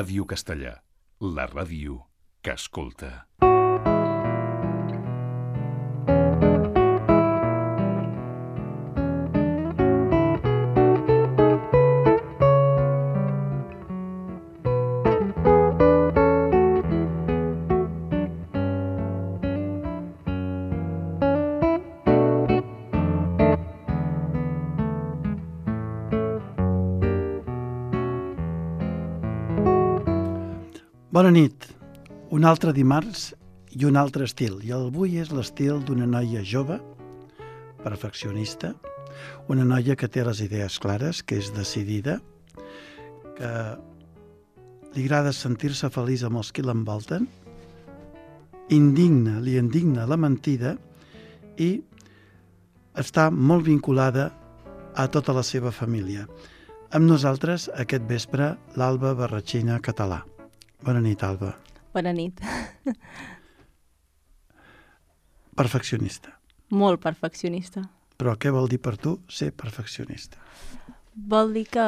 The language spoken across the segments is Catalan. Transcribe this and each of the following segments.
Ràdio Castellà, la ràdio que escolta. Bona nit. Un altre dimarts i un altre estil. I avui és l'estil d'una noia jove, perfeccionista, una noia que té les idees clares, que és decidida, que li agrada sentir-se feliç amb els qui l'envolten, li indigna la mentida i està molt vinculada a tota la seva família. Amb nosaltres, aquest vespre, l'Alba Barratxina Català. Bona nit, Alba. Bona nit. Perfeccionista. Molt perfeccionista. Però què vol dir per tu ser perfeccionista? Vol dir que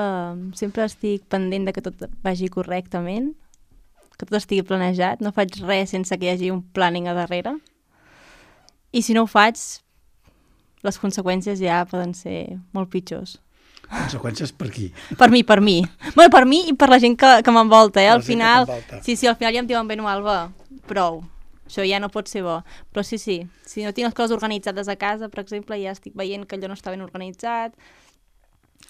sempre estic pendent de que tot vagi correctament, que tot estigui planejat, no faig res sense que hi hagi un planning a darrere. I si no ho faig, les conseqüències ja poden ser molt pitjors. Conseqüències per qui? Per mi. Bueno, per mi i per la gent que m'envolta, eh? Al final, sí, al final ja em diuen, bueno, Alba, prou. Això ja no pot ser bo. Però sí, si no tinc les coses organitzades a casa, per exemple, ja estic veient que allò no està ben organitzat,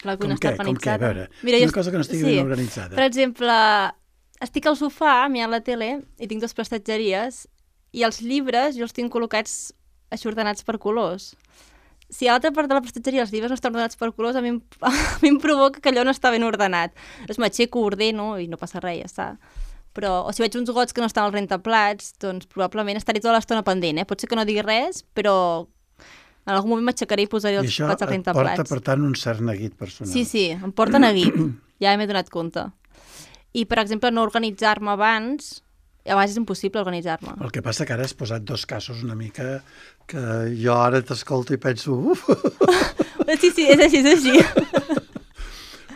la cuina està organitzada. Com què? A veure, una cosa que no estigui ben organitzada. Per exemple, estic al sofà mirant la tele i tinc dues prestatgeries i els llibres jo els tinc col·locats aixordenats per colors. Si a l'altra part de la prestatgeria els llibres no estan ordenats per colors, a mi em provoca que allò no està ben ordenat. Llavors m'aixeco, ordeno i no passa res, ja està. Però, o si veig uns gots que no estan al rentaplats, doncs probablement estaré tota l'estona pendent, eh? Pot ser que no digui res, però en algun moment m'aixecaré i posaré els plats al rentaplats. I això et porta, per tant, un cert neguit personal. Sí, em porta neguit. Ja m'he donat compte. I, per exemple, no organitzar-me abans, a vegades és impossible organitzar-me. El que passa que ara has posat dos casos una mica que jo ara t'escolto i penso... Sí, és així.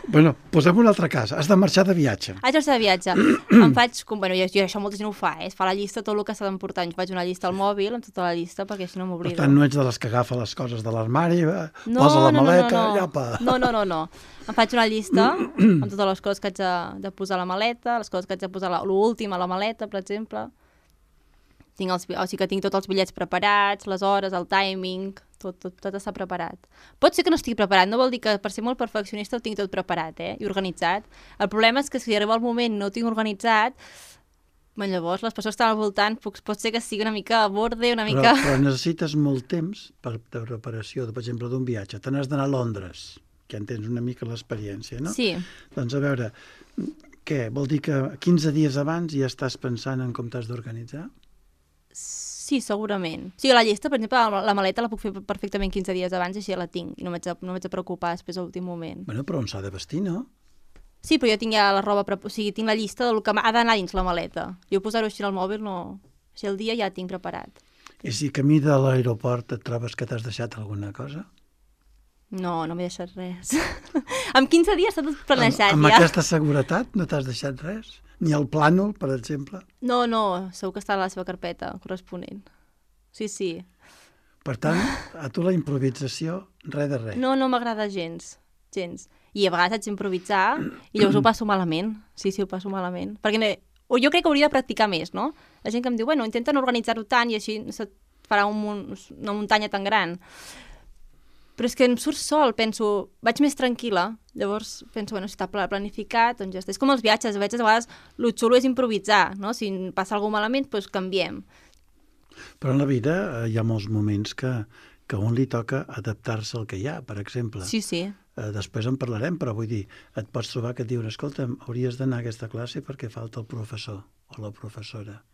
Bueno, posem un altre cas. Has de marxar de viatge. Haig de marxar de viatge. Em faig... Bueno, jo això molta gent ho fa, es fa la llista tot el que s'ha d'emportar. Jo faig una llista al mòbil amb tota la llista perquè així no m'oblido. Per tant, no ets de les que agafa les coses de l'armari, posa la maleta, llapa... No. Em faig una llista amb totes les coses que haig de posar a la maleta, les coses que haig de posar l'últim a la maleta, per exemple. O sigui que tinc tots els bitllets preparats, les hores, el timing, tot està preparat. Pot ser que no estigui preparat, no vol dir que per ser molt perfeccionista ho tinc tot preparat, i organitzat. El problema és que si arriba el moment i no ho tinc organitzat, llavors les persones que estan al voltant pot ser que sigui una mica a borde, una mica... Però necessites molt temps de preparació, per exemple, d'un viatge. Te n'has d'anar a Londres, que ja en tens una mica l'experiència, no? Sí. Doncs a veure, què? Vol dir que 15 dies abans ja estàs pensant en com t'has d'organitzar? Sí, segurament. O sigui, la llista, per exemple, la maleta la puc fer perfectament 15 dies abans i així ja la tinc. I no m'haig de preocupar després a l'últim moment. Bueno, però on s'ha de vestir, no? Sí, però jo tinc ja la roba... O sigui, tinc la llista del que ha d'anar dins la maleta. Jo posar-ho així al mòbil no... Així el dia ja tinc preparat. I si camí de l'aeroport et trobes que t'has deixat alguna cosa? No m'he deixat res. En 15 dies està tot planejat, amb aquesta seguretat no t'has deixat res? Ni el plànol, per exemple? No, segur que està a la seva carpeta corresponent. Sí. Per tant, a tu la improvisació, res de res. No m'agrada gens. I a vegades haig d'improvisar i llavors ho passo malament. Sí, ho passo malament. Perquè jo crec que hauria de practicar més, no? La gent que em diu, bueno, intenta no organitzar-ho tant i així se't farà una muntanya tan gran. Però és que em surt sol, penso, vaig més tranquil·la, llavors penso, bueno, si està planificat, doncs ja està. És com els viatges, a vegades el xulo és improvisar, no? Si passa alguna cosa malament, doncs canviem. Però en la vida hi ha molts moments que a un li toca adaptar-se al que hi ha, per exemple. Sí. Després en parlarem, però vull dir, et pots trobar que et diuen, escolta, hauries d'anar a aquesta classe perquè falta el professor o la professora.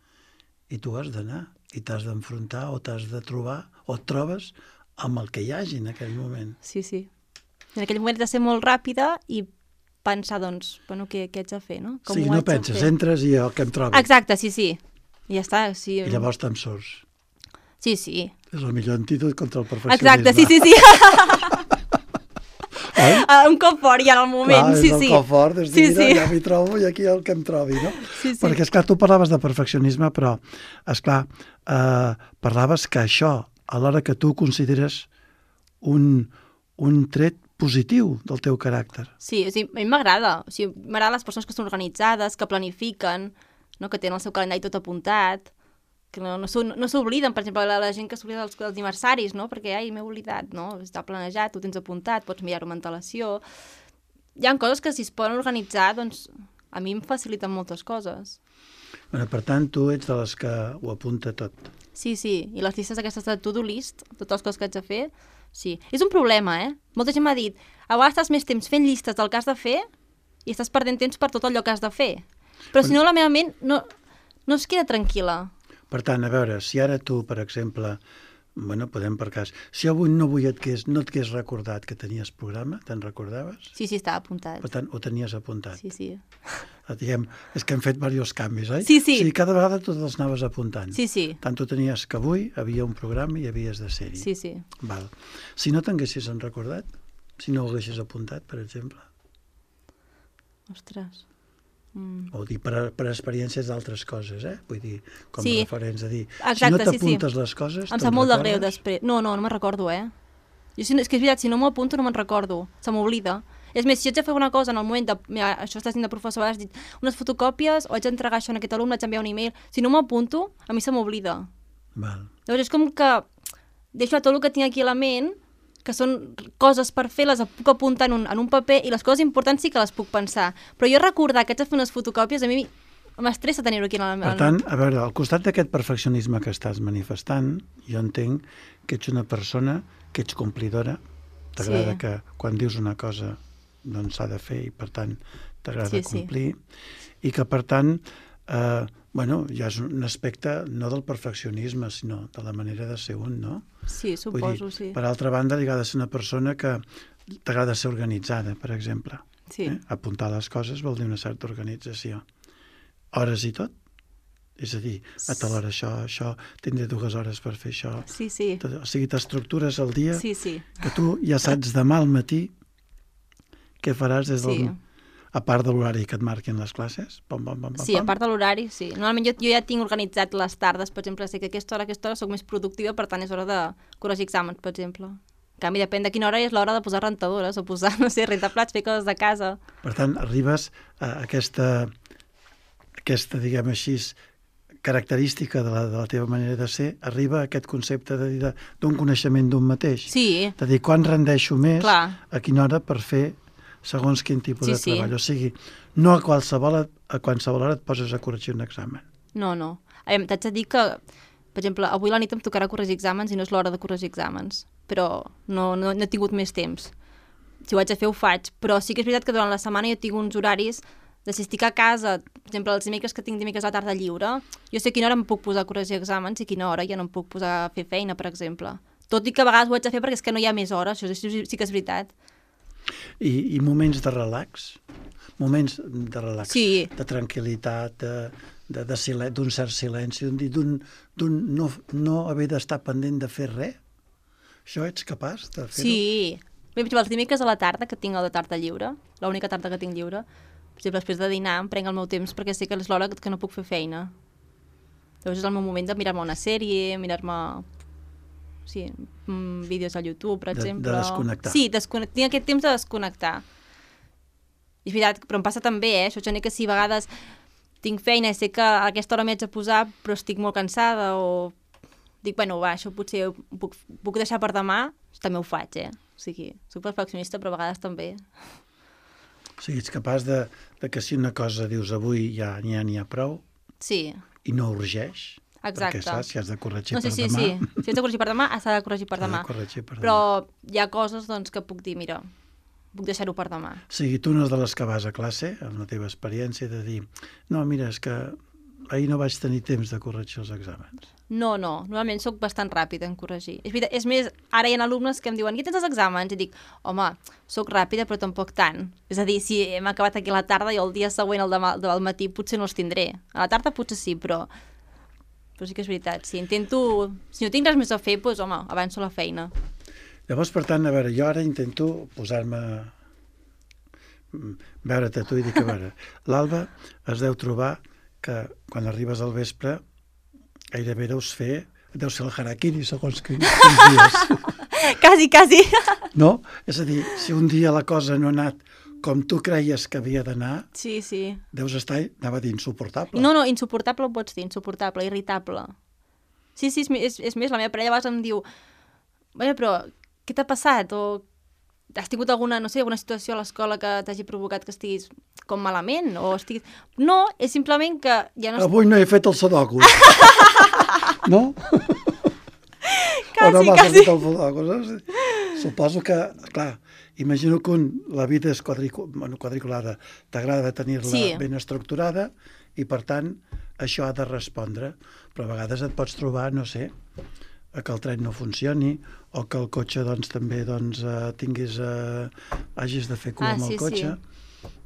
I tu has d'anar, i t'has d'enfrontar, o t'has de trobar, o et trobes amb el que hi hagi en aquell moment. Sí. En aquell moment has de ser molt ràpida i pensar, doncs, bueno, què haig de fer, no? Sí, no penses, entres i el que em trobi. Exacte, sí. I ja està, sí. I llavors te'n surts. Sí. És el millor antídot contra el perfeccionisme. Exacte, sí. Oi? Un cop fort i en el moment, clar, sí, és sí. el cop fort, és dir, Sí, mira, sí. ja m'hi trobo i aquí el que em trobi, no? Sí, sí. Perquè, esclar, tu parlaves de perfeccionisme, però, esclar, parlaves que això, a l'hora que tu consideres un tret positiu del teu caràcter. Sí, o sigui, a mi m'agrada. O sigui, m'agraden les persones que són organitzades, que planifiquen, no? Que tenen el seu calendari tot apuntat, que no s'obliden, per exemple, la gent que s'oblida dels aniversaris, no? Perquè, ai, m'he oblidat, no? Està planejat, ho tens apuntat, pots mirar-ho amb antelació. Hi ha coses que si es poden organitzar, doncs, a mi em faciliten moltes coses. Bueno, per tant, tu ets de les que ho apunta tot. Sí, sí, i les llistes aquestes de to-do list, totes les coses que haig de fer, sí. És un problema, Molta gent m'ha dit, a vegades estàs més temps fent llistes del que has de fer i estàs perdent temps per tot allò que has de fer. Però si no, la meva ment no es queda tranquil·la. Per tant, a veure, si ara tu, per exemple, bueno, podem per cas, si avui no et hagués recordat que tenies programa, te'n recordaves? Sí, sí, estava apuntat. Per tant, ho tenies apuntat. Sí, sí. Diguem, és que hem fet diversos canvis, oi? Sí, sí. O sigui, cada vegada tu els anaves apuntant. Sí, sí. Tant tu tenies que avui havia un programa i havies de ser-hi. Sí, sí. Val. Si no t'haguessis recordat, si no ho haguessis apuntat, per exemple, Ostres. o dir per experiències d'altres coses, vull dir, com Sí. referents a dir, Exacte, si no sí, t'apuntes les coses, Em sap molt de greu després. No me'n recordo, Jo, és que és veritat, si no m'ho apunto no me'n recordo. Se m'oblida. És més, si haig de fer una cosa en el moment de... Mira, això estàs dient de professor, has dit unes fotocòpies o haig d'entregar això a aquest alumne, haig d'enviar un e-mail. Si no m'ho apunto, a mi se m'oblida. Val. Llavors és com que deixo tot el que tinc aquí a la ment, que són coses per fer, les puc apuntar en un paper i les coses importants sí que les puc pensar. Però jo recordar que haig de fer unes fotocòpies, a mi m'estressa tenir-ho aquí en la... Per tant, a veure, al costat d'aquest perfeccionisme que estàs manifestant, jo entenc que ets una persona que ets complidora, t'agrada Sí. que quan dius una cosa doncs s'ha de fer i per tant t'agrada Sí, sí. complir i que per tant bueno, ja és un aspecte no del perfeccionisme sinó de la manera de ser un, no? Sí, suposo, sí. Per altra banda, li ha de ser una persona que t'agrada ser organitzada, per exemple. Sí. Apuntar les coses vol dir una certa organització. Hores i tot? És a dir, a tal hora això, tindré 2 hores per fer això. Sí, sí. O sigui, t'estructures el dia Sí, sí. que tu ja saps demà al matí què faràs des del... Sí. A part de l'horari que et marquin les classes. Pam, pam, pam, pam, Sí, a pam. part de l'horari, sí. Normalment jo ja tinc organitzat les tardes, per exemple, sé que a aquesta hora soc més productiva, per tant és hora de corregir exàmens, per exemple. En canvi, depèn de quina hora és l'hora de posar rentadores o posar, no sé, rentaplats, fer coses de casa. Per tant, arribes a aquesta diguem així, característica de la teva manera de ser, arriba a aquest concepte d'un coneixement d'un mateix. Sí, De dir, quan rendeixo més, Clar. a quina hora per fer segons quin tipus Sí, de sí. treball. O sigui, no a qualsevol hora et poses a corregir un examen. no. T'haig de dir que, per exemple, avui a la nit em tocarà corregir exàmens i no és l'hora de corregir exàmens, però no he tingut més temps. Si ho haig de fer, ho faig, però sí que és veritat que durant la setmana jo tinc uns horaris de si estic a casa, per exemple, els dimecres que tinc dimecres a la tarda lliure, jo sé a quina hora em puc posar a corregir exàmens i a quina hora ja no em puc posar a fer feina, per exemple. Tot i que a vegades ho haig de fer perquè és que no hi ha més hores, això sí que és veritat. I moments de relax? Moments de relax, Sí. de tranquil·litat, d'un cert silenci, d'un no haver d'estar pendent de fer res? Això ets capaç de fer-ho? Sí. Bé, per exemple, els dimecres a la tarda, que tinc el de tarda lliure, l'única tarda que tinc lliure, per exemple, després de dinar em prenc el meu temps perquè sé que és l'hora que no puc fer feina. Llavors és el meu moment de mirar-me una sèrie, mirar-me vídeos al YouTube, per exemple. De desconnectar. Sí, tinc aquest temps de desconnectar. I és veritat, però em passa també, això, Johnny, que si a vegades tinc feina i sé que a aquesta hora m'hi haig de posar, però estic molt cansada o dic, bueno, va, això potser ho puc deixar per demà, també ho faig, O sigui, soc perfeccionista, però a vegades també. O sigui, ets capaç de que si una cosa dius avui ja n'hi ha prou Sí, i no urgeix, exacte. perquè saps si has de corregir No, sí, per sí, demà. sí. Si has de corregir per demà, has de corregir per S'ha de demà. corregir per demà. Però hi ha coses doncs, que puc dir, mira, puc deixar-ho per demà. O sigui, tu no és de les que vas a classe, amb la teva experiència, de dir, no, mira, és que ahir no vaig tenir temps de corregir els exàmens. No, normalment sóc bastant ràpida en corregir. És veritat, és més, ara hi ha alumnes que em diuen, què tens els exàmens? I dic, home, sóc ràpida però tampoc tant. És a dir, si hem acabat aquí a la tarda i el dia següent, el demà del matí, potser no els tindré. A la tarda potser sí, però sí que és veritat. Si no tinc res més a fer, doncs, home, avanço la feina. Llavors, per tant, a veure, jo ara intento posar-me veure-te tu i dic, a veure, l'Alba es deu trobar que quan arribes al vespre gairebé deus fer el harakiri segons quins dies. Quasi. No? És a dir, si un dia la cosa no ha anat com tu creies que havia d'anar, Sí. deus estar, anava a dir, insuportable. No, insuportable ho pots dir, insuportable, irritable. Sí, és més, la meva parella a vegades em diu però què t'ha passat? O has tingut alguna situació a l'escola que t'hagi provocat que estiguis com malament? O estiguis... No, és simplement que ja no... Avui no he fet el sudoku. No? O no m'has fet el sudoku, saps? Suposo que, clar, imagino que la vida és quadriculada. T'agrada tenir-la ben estructurada i, per tant, això ha de respondre. Però a vegades et pots trobar, no sé, que el tren no funcioni o que el cotxe també hagis de fer cua amb el cotxe.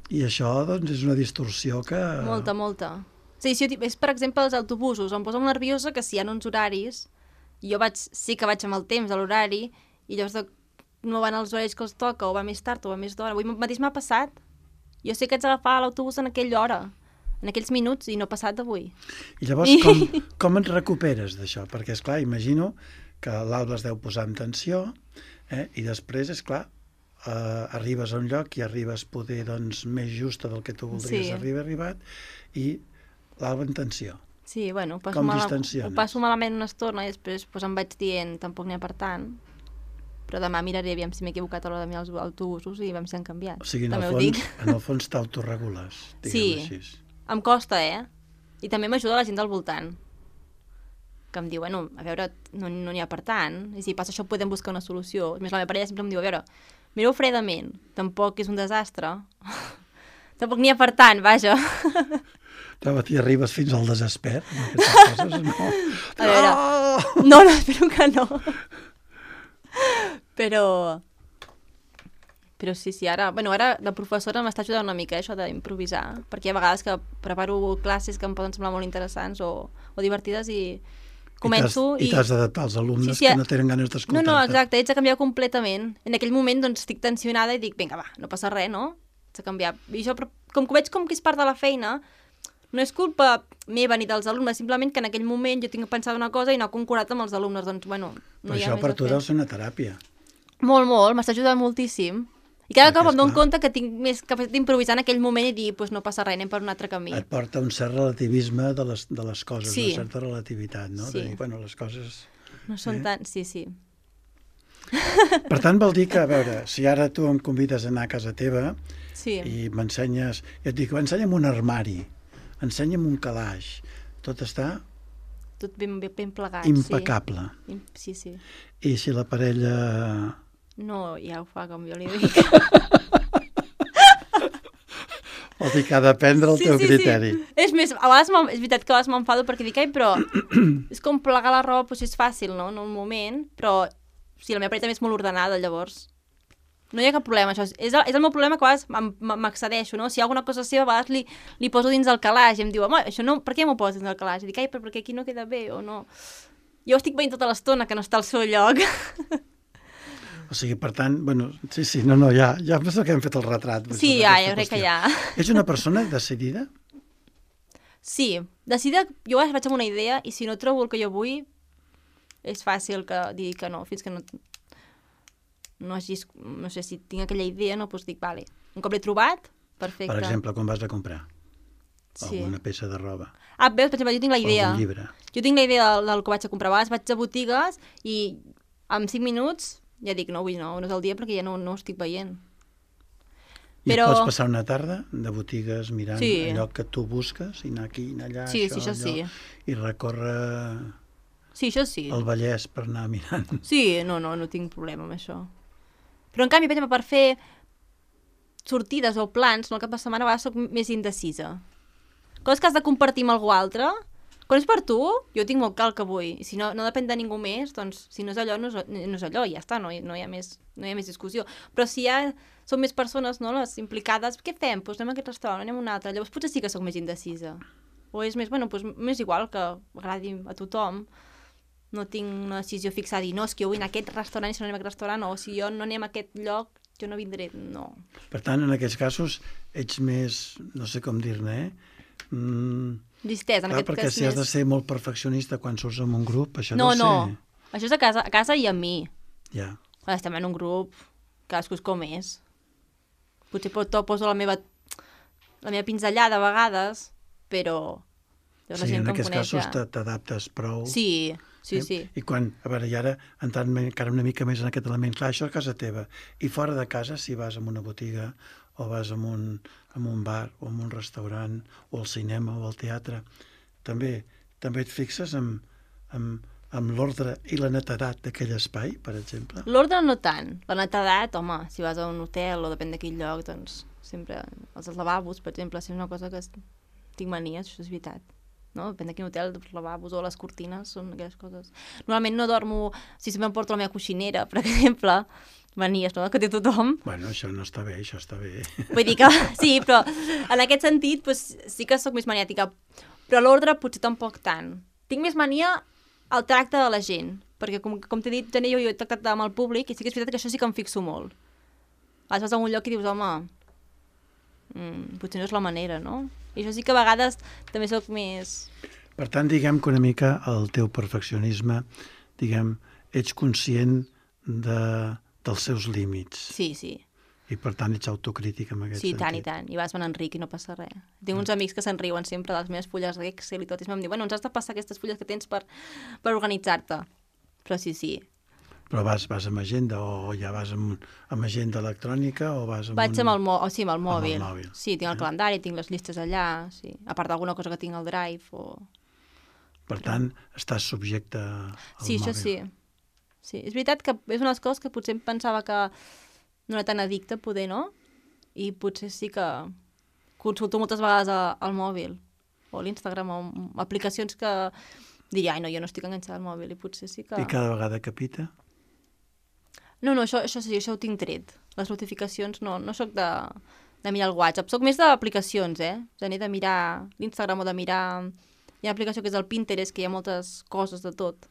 I això és una distorsió que... Molta. Sí, és, per exemple, els autobusos. Em posa molt nerviosa que si hi ha uns horaris, jo sí que vaig amb el temps de l'horari i llavors no van als horaris que els toca, o va més tard o va més d'hora. Avui mateix m'ha passat. Jo sé que haig d'agafar l'autobús en aquella hora, en aquells minuts, i no ha passat avui. I llavors com et recuperes d'això? Perquè, esclar, imagino que l'Alba es deu posar en tensió, i després, esclar, arribes a un lloc i arribes poder més justa del que tu voldries haver arribat, i l'Alba en tensió. Sí, bueno, com distensiones? Ho passo malament una estona i després em vaig dient, tampoc n'hi ha per tant, però demà miraré aviam si m'he equivocat a l'hora de mirar els autobusos i aviam si han canviat. O sigui, en el fons t'autoregules, diguem-ho així. Em costa, I també m'ajuda la gent del voltant, que em diu, a veure, no n'hi ha per tant, i si passa això podem buscar una solució. A més, la meva parella sempre em diu, a veure, mireu fredament, tampoc és un desastre, tampoc n'hi ha per tant, vaja. T'hi arribes fins al desesper, amb aquestes coses, no? A veure, no, espero que no. Però sí, ara la professora m'està ajudant una mica això d'improvisar, perquè hi ha vegades que preparo classes que em poden semblar molt interessants o divertides i començo i t'has d'adaptar als alumnes que no tenen ganes d'escoltar-te. No, exacte, haig de canviar completament. En aquell moment estic tensionada i dic, vinga, va, no passa res, no? Haig de canviar. I això, com que ho veig com que és part de la feina, no és culpa meva ni dels alumnes, simplement que en aquell moment jo tinc pensat una cosa i no he concordat amb els alumnes, doncs, no hi ha això per tu deu ser una teràpia. Molt, m'està ajudant moltíssim. I cada cop em dono compte que tinc més capacitat d'improvisar en aquell moment i dir, no passa res, anem per un altre camí. Et porta un cert relativisme de les coses, una certa relativitat, no? De dir, les coses... No són tan... Sí. Per tant, vol dir que, a veure, si ara tu em convides a anar a casa teva i m'ensenyes... Jo et dic, ensenya'm un armari, ensenya'm un calaix, tot està... Tot ben plegat, impecable. Sí. I si la parella... No, ja ho fa com jo li dic. Vol dir que ha de prendre el teu criteri. És més, a vegades és veritat que a vegades m'enfado perquè dic, però és com plegar la roba, és fàcil, no? En un moment, però sí, la meva parella també és molt ordenada, llavors no hi ha cap problema, això. És el meu problema que a vegades m'excedeixo, no? Si hi ha alguna cosa seva, a vegades li poso dins del calaix i em diu, home, això no, per què m'ho poses dins del calaix? I dic, però perquè aquí no queda bé, o no? Jo estic veient tota l'estona que no està al seu lloc. O sigui, per tant, sí, ja penso que hem fet el retrat. Sí, jo crec que ja. Ets una persona decidida? Sí, decidida, jo vaig amb una idea i si no trobo el que jo vull, és fàcil que digui que no, fins que no sé si tinc aquella idea, doncs dic, vale, un cop l'he trobat, perfecte. Per exemple, quan vas a comprar alguna peça de roba. Veus, per exemple, jo tinc la idea. O algun llibre. Jo tinc la idea del que vaig a comprar. Vaig a botigues i en 5 minuts ja dic, no, avui no és el dia perquè ja no ho estic veient. I et pots passar una tarda de botigues mirant allò que tu busques i anar aquí, anar allà, això sí. I recórrer el Vallès per anar mirant. Sí, no tinc problema amb això. Però en canvi, per fer sortides o plans, el cap de setmana a vegades soc més indecisa. Coses que has de compartir amb algú altre, quan és per tu, jo tinc molt clar el que vull. I si no depèn de ningú més, doncs si no és allò, no és allò, i ja està, no hi ha més discussió. Però si són més persones, no, les implicades, què fem? Doncs anem a aquest restaurant, anem a un altre. Llavors potser sí que soc més indecisa. O és més, m'és igual que agradi a tothom. No tinc una decisió fixa a dir, no, és que jo vull anar a aquest restaurant i si no anem a aquest restaurant, o si jo no anem a aquest lloc, jo no vindré, no. Per tant, en aquests casos, ets més, no sé com dir-ne, Distès, en clar, aquest perquè cas si has de més... ser molt perfeccionista quan surts en un grup, això No, deu ser... això és a casa i a mi. Ja. Quan estem en un grup, cadascú és com és. Potser poso la meva pinzellada a vegades, però... Sí, en aquests casos t'adaptes prou. Sí. I quan, a veure, i ara entrant encara una mica més en aquest element, clar, això a casa teva. I fora de casa, si vas a una botiga o vas a un bar o a un restaurant o al cinema o al teatre, també et fixes amb l'ordre i la netedat d'aquell espai, per exemple? L'ordre no tant. La netedat, home, si vas a un hotel o depèn de quin lloc, doncs sempre... Els lavabos, per exemple, si és una cosa que tinc mania, això és veritat. No? Depèn de quin hotel, els lavabos o les cortines són aquelles coses. Normalment no dormo... Si sempre em porto la meva coixinera, per exemple, manies, no?, que té tothom. Bueno, això no està bé, això està bé. Vull dir que sí, però en aquest sentit doncs, sí que sóc més maniàtica. Però l'ordre potser tampoc tant. Tinc més mania al tracte de la gent, perquè com t'he dit, jo he tractat amb el públic i sí que és veritat que això sí que em fixo molt. Vas a un lloc i dius, home, potser no és la manera, no? I això sí que a vegades també sóc més... Per tant, diguem que una mica el teu perfeccionisme, diguem, ets conscient dels seus límits. Sí. I per tant ets autocrític en aquest sentit. sentit. Sí, tant. I vas me n'enric i no passa res. Tinc uns amics que se'n riuen sempre de les meves fulles d'Excel i tot, i em diuen, bueno, ens has de passar aquestes fulles que tens per organitzar-te. Però sí. Però vas amb agenda o ja vas amb agenda electrònica o vas amb Vaig amb el mòbil. Amb el mòbil. Sí, tinc el calendari, tinc les llistes allà, sí. A part d'alguna cosa que tinc al Drive o... Per tant, estàs subjecte al mòbil. Sí, això sí. Sí, és veritat que és una de les coses que potser em pensava que no era tan addicte, poder, no? I potser sí que consulto moltes vegades al mòbil o a l'Instagram o aplicacions que diria, ai, no, jo no estic enganxada al mòbil i potser sí que... I cada vegada que pita? No, això sí, això ho tinc tret. Les notificacions no soc de mirar el WhatsApp, soc més d'aplicacions, de mirar l'Instagram o de mirar... Hi ha una aplicació que és el Pinterest, que hi ha moltes coses de tot,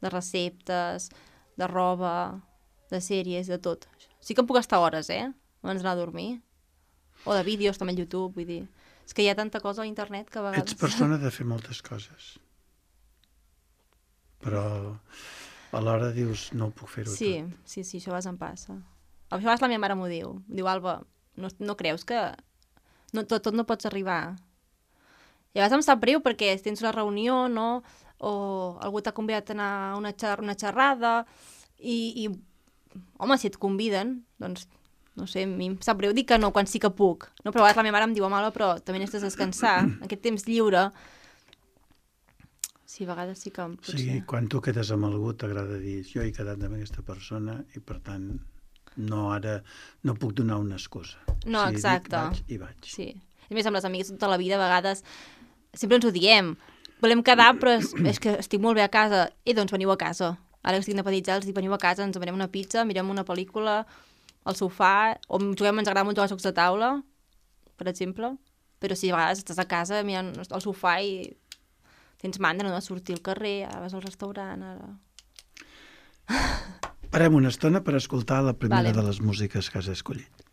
de receptes, de roba, de sèries, de tot. Sí que em puc estar hores, abans d'anar a dormir. O de vídeos, també al YouTube, vull dir... És que hi ha tanta cosa a internet que a vegades... Ets persona de fer moltes coses. Però alhora dius, no ho puc fer-ho tot. Sí, això a vegades em passa. A vegades la meva mare m'ho diu. Diu, Alba, no creus que tot no pots arribar? I a vegades em sap greu perquè tens una reunió, no? O algú t'ha convidat a anar a una xerrada i home, si et conviden, doncs, no sé, a mi em sap greu dir que no quan sí que puc. No? Però a vegades la meva mare em diu, Alba, però també n'has de descansar, aquest temps lliure. Sí, a vegades sí que... Potser... Sí, quan tu quedes amb algú t'agrada dir, jo he quedat amb aquesta persona i per tant no puc donar una excusa. No, si exacte. Dic, vaig. Sí. A més, amb les amigues tota la vida, a vegades, sempre ens ho diem. Volem quedar, però és que estic molt bé a casa. I doncs veniu a casa. Ara que estic independentitzada, els dic, veniu a casa, ens demanem una pizza, mirem una pel·lícula al sofà, o juguem, ens agrada molt jugar a jocs de taula, per exemple. Però si a vegades estàs a casa mirant al sofà i tens mandra, no?, de sortir al carrer, ara vas al restaurant, ara... Parem una estona per escoltar la primera de les músiques que has escollit.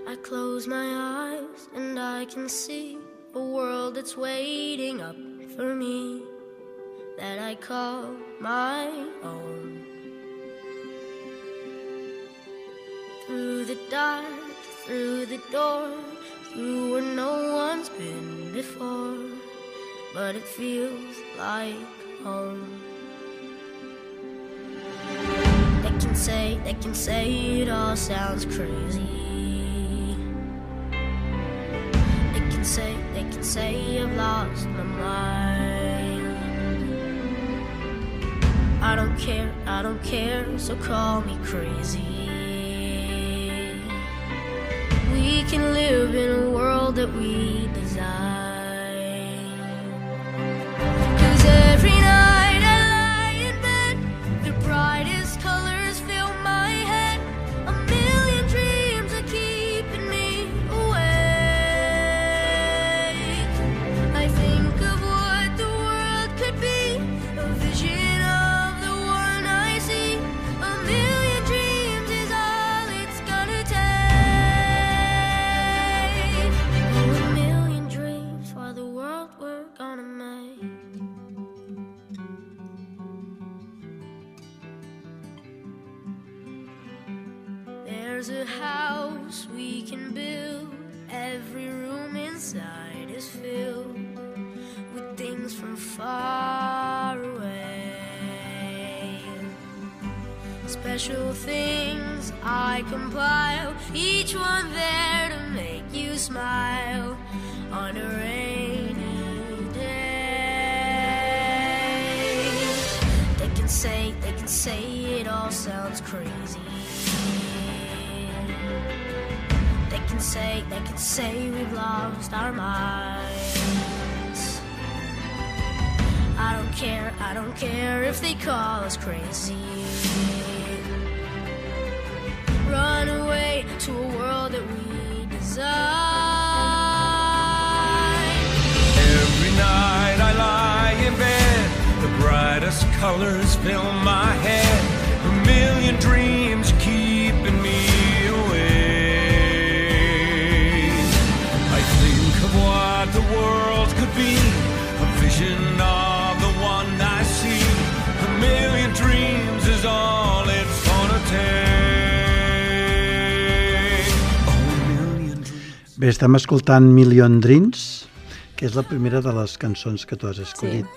I close my eyes and I can see a world that's waiting up for me, that I call my own. Through the dark, through the door, through where no one's been before, but it feels like home. They can say it all sounds crazy. They can say I've lost my mind. I don't care, so call me crazy. We can live in a world that we design. 'Cause every night I lie in bed, the brightest colors fill my head. A million dreams I keep There's a house we can build. Every room inside is filled with things from far away. Special things I compile, each one there to make you smile on a rainy day. They can say it all sounds crazy. They can say we've lost our minds. I don't care if they call us crazy. Run away to a world that we design. Every night I lie in bed, the brightest colors fill my head, a million dreams keeping me awake. I think of what the world could be, a vision of the one I see. A million dreams is all it's gonna take. Bé, estem escoltant Million Dreams, que és la primera de les cançons que tu has escollit. Sí.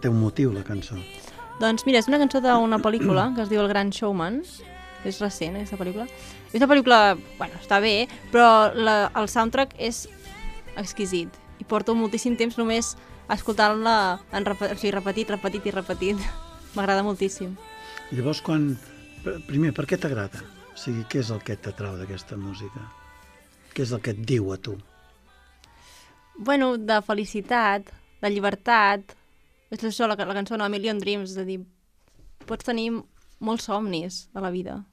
Té un motiu, la cançó. Doncs mira, és una cançó d'una pel·lícula que es diu El Gran Showman. És recent, aquesta pel·lícula. És una pel·lícula, bueno, està bé, però el soundtrack és exquisit. I porto moltíssim temps només escoltant-la repetit. M'agrada moltíssim. Llavors, primer, per què t'agrada? O sigui, què és el que t'atrau d'aquesta música? Què és el que et diu a tu? Bueno, de felicitat, de llibertat. És això, la cançó A Million Dreams, és a dir, pots tenir molts somnis de la vida.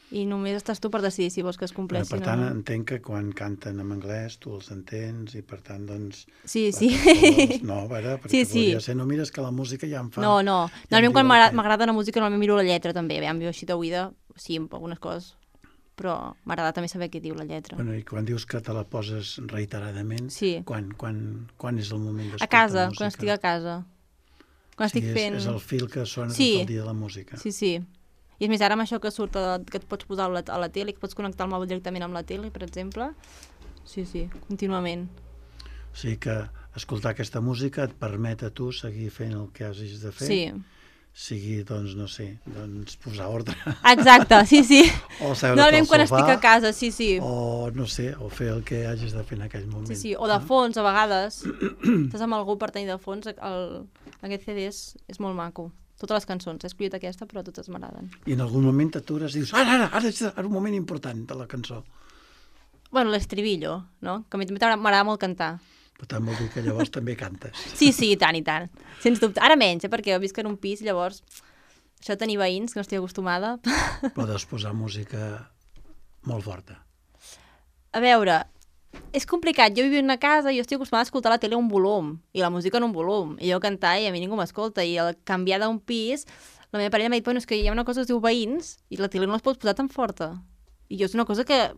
I només estàs tu per decidir si vols que es compleixin per tant, o no. entenc que quan canten en anglès tu els entens i per tant, doncs... Sí. No, a veure, perquè podria ser, no mires que la música ja em fa... No. Normalment quan m'agrada la música normalment miro la lletra també. Aviam, jo així d'oïda, sí, algunes coses, però m'agrada també saber què diu la lletra. Bueno, i quan dius que te la poses reiteradament, sí. Quan és el moment d'escoltar a casa, música? quan estic a casa. Quan estic fent... És el fil que sona tot el dia de la música. Sí. I és més, ara amb això que surt, que et pots posar a la tele, que pots connectar el mòbil directament amb la tele, per exemple. Sí, contínuament. O sigui que escoltar aquesta música et permet a tu seguir fent el que hagis de fer. Sí. Sigui, doncs, no sé, posar ordre. Exacte, sí. O seure't al quan sofà. Estic a casa, sí. O, no sé, o fer el que hagis de fer en aquell moment. Sí, o de fons, a vegades. Estàs amb algú per tenir de fons, aquest CD és molt maco. Totes les cançons, he escollit aquesta, però totes m'agraden. I en algun moment t'atures i dius, ara és un moment important de la cançó. Bueno, l'estribillo, no? Que a mi també m'agrada molt cantar. Per tant, vol dir que llavors també cantes. Sí, i tant. Sens dubte. Ara menys, perquè jo visc en un pis, llavors això de tenir veïns, que no estic acostumada. Podes posar música molt forta. A veure, és complicat. Jo vivia en una casa i jo estic acostumada a escoltar la tele a un volum, i la música en un volum, i jo cantar i a mi ningú m'escolta, i al canviar d'un pis, la meva parella m'ha dit, bueno, és que hi ha una cosa que es diu veïns, i la tele no es pot posar tan forta. I jo és una cosa que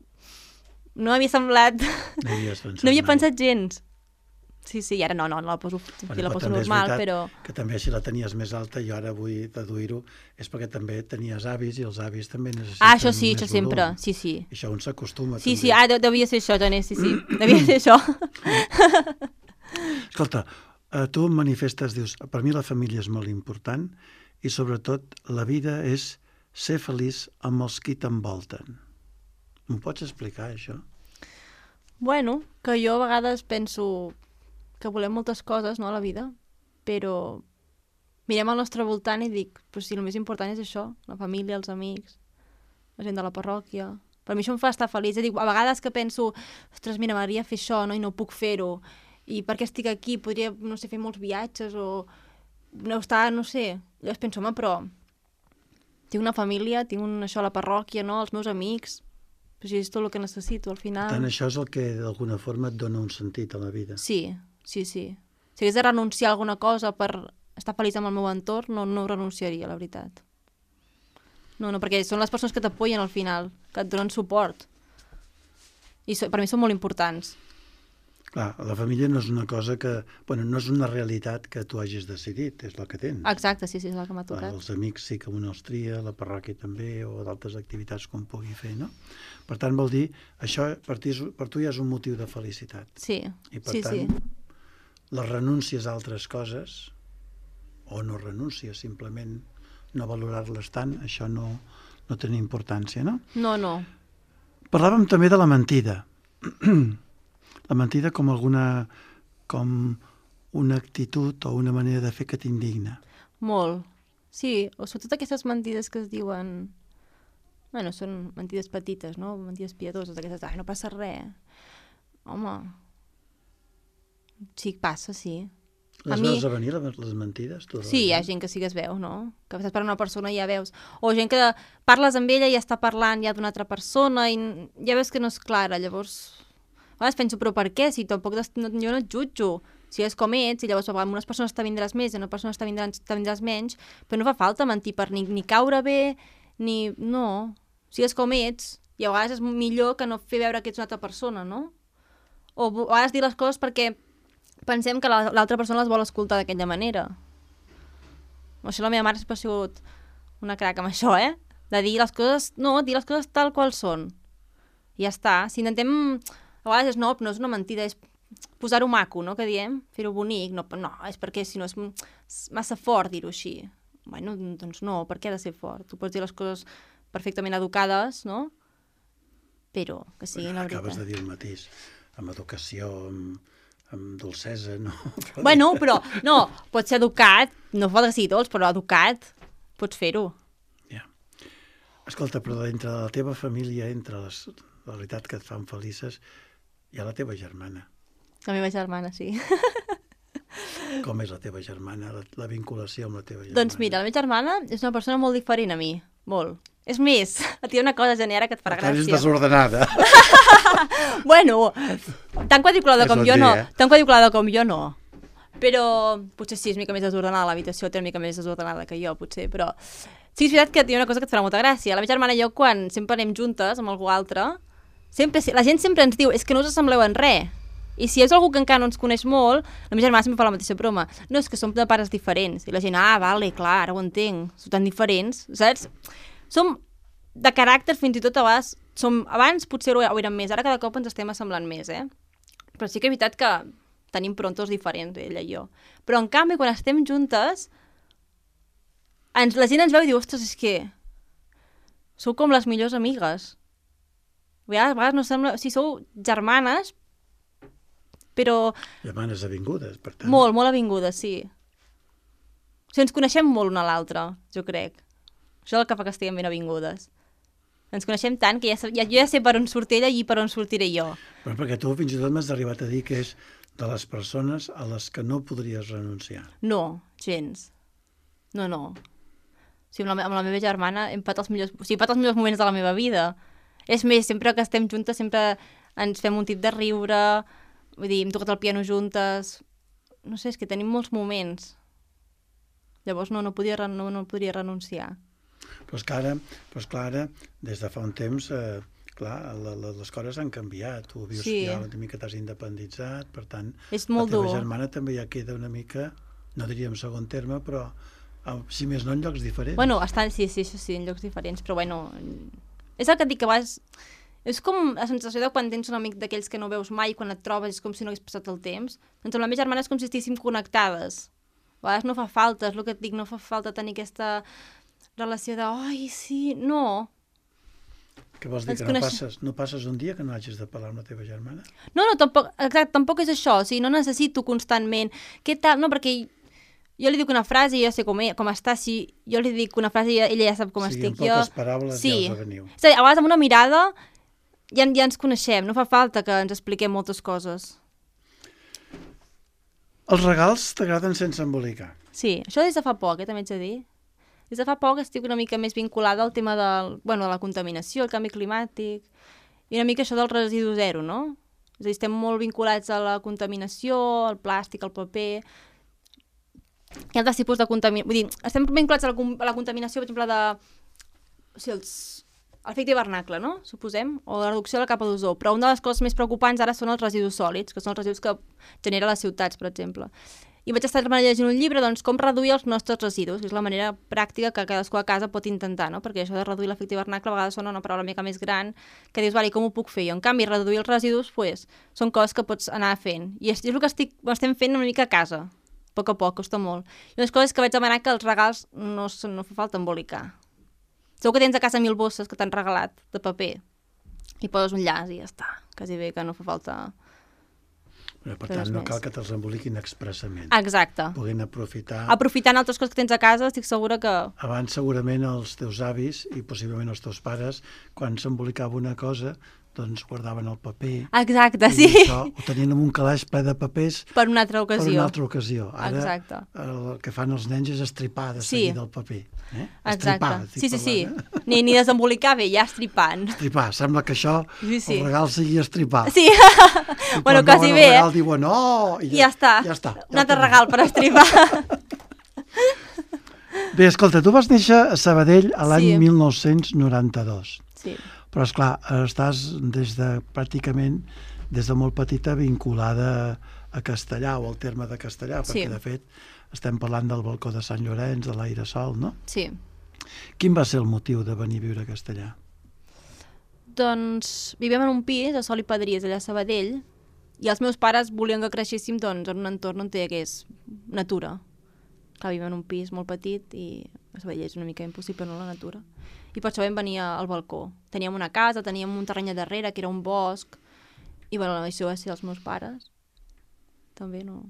no m'havia semblat... No havia pensat gens. Sí, i ara no la poso, la poso normal, però... Que també si la tenies més alta, jo ara vull deduir-ho, és perquè també tenies avis i els avis també necessiten això sí, això sempre, volum. sí. I això un s'acostuma també. Sí, devia ser això, Toni, sí. Devia ser això. Escolta, tu em manifestes, dius, per mi la família és molt important i sobretot la vida és ser feliç amb els qui t'envolten. M'ho pots explicar, això? Bueno, que jo a vegades penso que volem moltes coses, no, a la vida, però mirem al nostre voltant i dic, però si el més important és això, la família, els amics, la gent de la parròquia. Per mi això em fa estar feliç. És a dir, a vegades que penso, ostres, mira, m'agradaria fer això, no, i no puc fer-ho, i per què estic aquí? Podria, no sé, fer molts viatges o no estar, no sé. Llavors penso, home, però tinc una família, tinc això a la parròquia, no, els meus amics, però si és tot el que necessito, al final... Per tant, això és el que d'alguna forma et dona un sentit a la vida. Sí. Si hagués de renunciar a alguna cosa per estar feliç amb el meu entorn, no renunciaria, la veritat. No, perquè són les persones que t'apoyen al final, que et donen suport. I per mi són molt importants. Clar, la família no és una cosa que... Bueno, no és una realitat que tu hagis decidit, és la que tens. Exacte, sí, és el que m'ha Clar, tocat. els amics sí que un els tria, la parròquia també, o d'altres activitats com pugui fer, no? Per tant, vol dir, això per tu ja és un motiu de felicitat. Sí, I per sí, tant, sí. les renúncies a altres coses, o no renúncies, simplement no valorar-les tant, això no té importància, no? No, no. Parlàvem també de la mentida. La mentida com una actitud o una manera de fer que t'indigna. Molt. Sí, o sobretot aquestes mentides que es diuen... Bueno, són mentides petites, no? Mentides piadoses, aquestes, no passa res. Home, sí, passa, sí. Les veus a venir, les mentides? Sí, hi ha gent que sí que es veu, no? Que estàs parlant amb una persona i ja veus. O gent que parles amb ella i està parlant ja d'una altra persona i ja veus que no és clara, llavors... A vegades penso, però per què? Si tampoc jo no et jutjo. Si és com ets, i llavors amb unes persones t'avindràs més i amb unes persones t'avindràs menys, però no fa falta mentir per ni caure bé, ni... No. Si és com ets, i a vegades és millor que no fer veure que ets una altra persona, no? O a vegades dir les coses perquè pensem que l'altra persona les vol escoltar d'aquella manera. Això la meva mare sempre ha sigut una crac amb això, de dir les coses... No, dir les coses tal qual són. I ja està. Si intentem... A vegades no és una mentida, és posar-ho maco, no?, que diem, fer-ho bonic. No, és perquè si no és massa fort dir-ho així. Bueno, doncs no, per què ha de ser fort? Tu pots dir les coses perfectament educades, no? Però que siguin la veritat. Acabes de dir el mateix, amb educació, amb dolcesa, no? Bueno, però, no, pots ser educat, no fa que sigui dolç, però educat, pots fer-ho. Ja. Escolta, però dintre de la teva família, entre la veritat que et fan felices, hi ha la teva germana. La meva germana, sí. Com és la teva germana, la vinculació amb la teva germana? Doncs mira, la meva germana és una persona molt diferent a mi, molt. És més, et diré una cosa, Genera, que et farà gràcia. És desordenada. Bueno, tan quadriculada com jo no. Tan quadriculada com jo no. Però potser sí, és mica més desordenada, l'habitació té una mica més desordenada que jo, potser, però... Sí, és veritat que hi ha una cosa que et farà molta gràcia. La meva germana i jo, quan sempre anem juntes amb algú altre, la gent sempre ens diu, és que no us assembleu en res. I si és algú que encara no ens coneix molt, la meva germana sempre fa la mateixa broma. No, és que som de pares diferents. I la gent, vale, clar, ara ho entenc. Som tan diferents, saps? Som de caràcter, fins i tot a vegades, abans potser ho érem més, ara cada cop ens estem assemblant més, Però sí que és veritat que tenim prontos diferents, ella i jo. Però en canvi, quan estem juntes, la gent ens veu i diu, ostres, és que sou com les millors amigues. A vegades no sembla... Si sou germanes, però... Germanes avingudes, per tant. Molt, molt avingudes, sí. O sigui, ens coneixem molt una a l'altra, jo crec. Això és el que fa que estiguem ben avingudes. Ens coneixem tant que jo ja sé per on surt ella i per on sortiré jo. Però perquè tu fins i tot m'has arribat a dir que és de les persones a les que no podries renunciar. No, gens. No. O sigui, amb la meva germana hem fet els millors moments de la meva vida. És més, sempre que estem juntes sempre ens fem un tip de riure, vull dir, hem tocat el piano juntes... No sé, és que tenim molts moments. Llavors no podria renunciar. Però és que ara, des de fa un temps, les coses han canviat. Tu vius ja una mica t'has independitzat, per tant, és molt la teva dur. germana també ja queda una mica, no diríem segon terme, però si més no en llocs diferents. Bueno, sí, en llocs diferents, però bueno, és el que et dic, que a vegades és com la sensació de quan tens un amic d'aquells que no veus mai, quan et trobes és com si no hagués passat el temps. Doncs amb la meva germana és com si estiguéssim connectades. A vegades no fa falta, és el que et dic, no fa falta tenir aquesta relació de, ai, sí, no. Què vols dir, que no passes un dia que no hagis de parlar amb la teva germana? No, tampoc és això, o sigui, no necessito constantment, què tal, no, perquè jo li dic una frase i jo sé com està, si jo li dic una frase i ella ja sap com estic jo. Sí, en poques paraules ja us aveniu. És a dir, a vegades amb una mirada ja ens coneixem, no fa falta que ens expliquem moltes coses. Els regals t'agraden sense embolicar? Sí, això des de fa poc, també ets a dir. Des de fa poc estic una mica més vinculada al tema de la contaminació, el canvi climàtic, i una mica això del residu zero, no? És a dir, estem molt vinculats a la contaminació, al plàstic, al paper... Hi ha altres tipus de contaminació... Vull dir, estem vinculats a la contaminació, per exemple, l'efecte hivernacle, no? Suposem, o la reducció de la capa d'ozó. Però una de les coses més preocupants ara són els residus sòlids, que són els residus que genera les ciutats, per exemple. I vaig estar llegint un llibre, doncs, com reduir els nostres residus, que és la manera pràctica que cadascú a casa pot intentar, no? Perquè això de reduir l'efecte hivernacle a vegades sona una paraula una mica més gran, que dius, vale, com ho puc fer? I en canvi, reduir els residus, pues, són coses que pots anar fent. I és el que estem fent una mica a casa, a poc, costa molt. I unes coses que vaig demanar que els regals no fa falta embolicar. Segur que tens a casa 1000 bosses que t'han regalat de paper i poses un llaç i ja està. Quasi bé que no fa falta... Però, per tant, no cal que te'ls emboliquin expressament. Exacte. Puguin aprofitar... Aprofitant altres coses que tens a casa, estic segura que... Abans, segurament, els teus avis i possiblement els teus pares, quan s'embolicava una cosa, doncs guardaven el paper. Exacte, sí. Això, ho tenien en un calaix ple de papers per una altra ocasió. Per una altra ocasió. Ara exacte. El que fan els nens és estripar de seguida el paper. Exacte. Sí. Ni desembolicar bé, ja estripant. Estripar. Sembla que això, el regal sigui estripar. Sí. Bueno, quasi bé, el regal diuen, oh! I ja està. Un altre regal per estripar. Bé, escolta, tu vas néixer a Sabadell l'any 1992. Sí. Però, esclar, estàs pràcticament des de molt petita vinculada a Castellà o al terme de Castellà, perquè, de fet, estem parlant del balcó de Sant Llorenç, de l'Aire-Sol, no? Sí. Quin va ser el motiu de venir a viure a Castellà? Doncs vivim en un pis a Sol i Padries, allà a Sabadell, i els meus pares volien que creixéssim en un entorn on hi hagués natura. Clar, vivim en un pis molt petit i a Sabadell és una mica impossible, no, la natura. I per això vam venir al balcó. Teníem una casa, teníem un terreny a darrere, que era un bosc, i bueno, això va ser els meus pares. També no...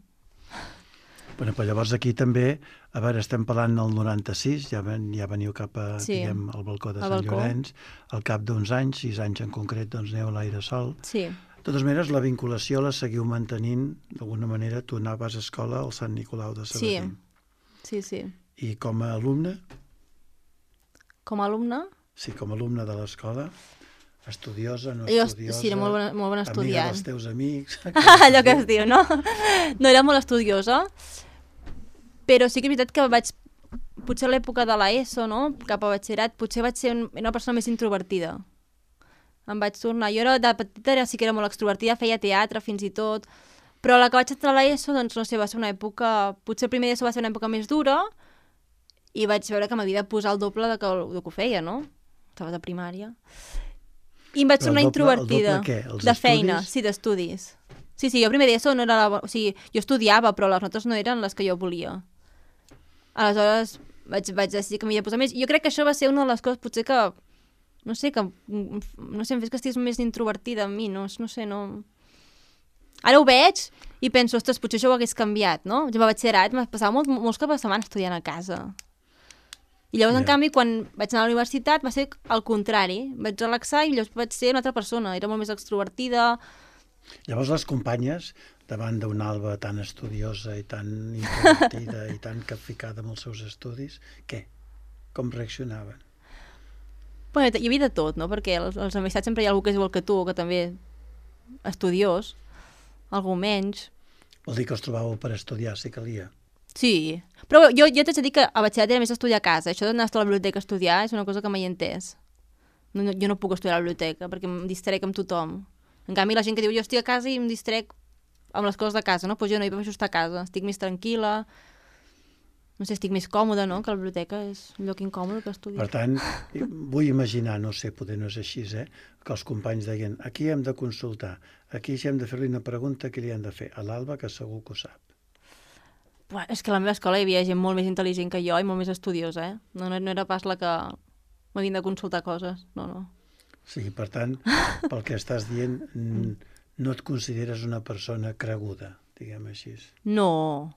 Bueno, però llavors aquí també, a veure, estem parlant del 96, ja veniu cap a, diguem, al balcó de Sant Llorenç, al cap d'uns anys, 6 anys en concret, doncs aneu a l'Aire-Sol. Sí. De totes maneres, la vinculació la seguiu mantenint, d'alguna manera, tu anaves a escola al Sant Nicolau de Sabadell. Sí. I com a alumne? Com a alumne? Sí, com a alumne de l'escola, estudiosa, no estudiosa... Sí, era molt bon estudiant. Amiga dels teus amics... Allò que es diu, no? No era molt estudiosa, però sí que és veritat que vaig... Potser a l'època de l'ESO, no? Cap a batxillerat, potser vaig ser una persona més introvertida. Em vaig tornar... Jo de petita sí que era molt extrovertida, feia teatre fins i tot, però la que vaig entrar a l'ESO, doncs no sé, va ser una època... Potser el primer d'ESO va ser una època més dura i vaig veure que m'havia de posar el doble del que ho feia, no? Estava de primària. I em vaig tornar introvertida. El doble què? De feina, sí, d'estudis. Sí, jo primer d'ESO no era o sigui, jo estudiava, però les notes no eren les que jo volia. Aleshores vaig decidir que m'havia de posar més. Jo crec que això va ser una de les coses, potser que, no sé, em fes que estigués més introvertida en mi, no sé, no... Ara ho veig i penso, ostres, potser això ho hagués canviat, no? Jo a batxillerat m'ha passat molts caps de setmana estudiant a casa. I llavors, en canvi, quan vaig anar a la universitat va ser el contrari. Vaig relaxar i llavors vaig ser una altra persona. Era molt més extrovertida. Llavors les companyes, davant d'una Alba tan estudiosa i tan introvertida i tan capficada amb els seus estudis, què? Com reaccionaven? Bueno, hi havia de tot, no? Perquè als amistats sempre hi ha algú que és igual que tu, que també estudiós, algú menys. Vol dir que els trobàveu per estudiar, si calia? Sí, però jo t'haig de dir que a batxillerat era més estudiar a casa. Això d'anar a la biblioteca a estudiar és una cosa que mai he entès. Jo no puc estudiar a la biblioteca perquè em distrec amb tothom. En canvi, la gent que diu jo estic a casa i em distrec amb les coses de casa, no? Pues jo no, jo prefereixo estar a casa. Estic més tranquil·la, no sé, estic més còmoda, no? Que la biblioteca és un lloc incòmode que estudiar. Per tant, vull imaginar, no sé, poder no és així, que els companys deien, aquí hem de consultar, aquí si hem de fer-li una pregunta, què li hem de fer? A l'Alba, que segur que ho sap. És que a la meva escola hi havia gent molt més intel·ligent que jo i molt més estudiosa, No era pas la que m'havien de consultar coses, no. O sigui, per tant, pel que estàs dient, no et consideres una persona creguda, diguem així. No.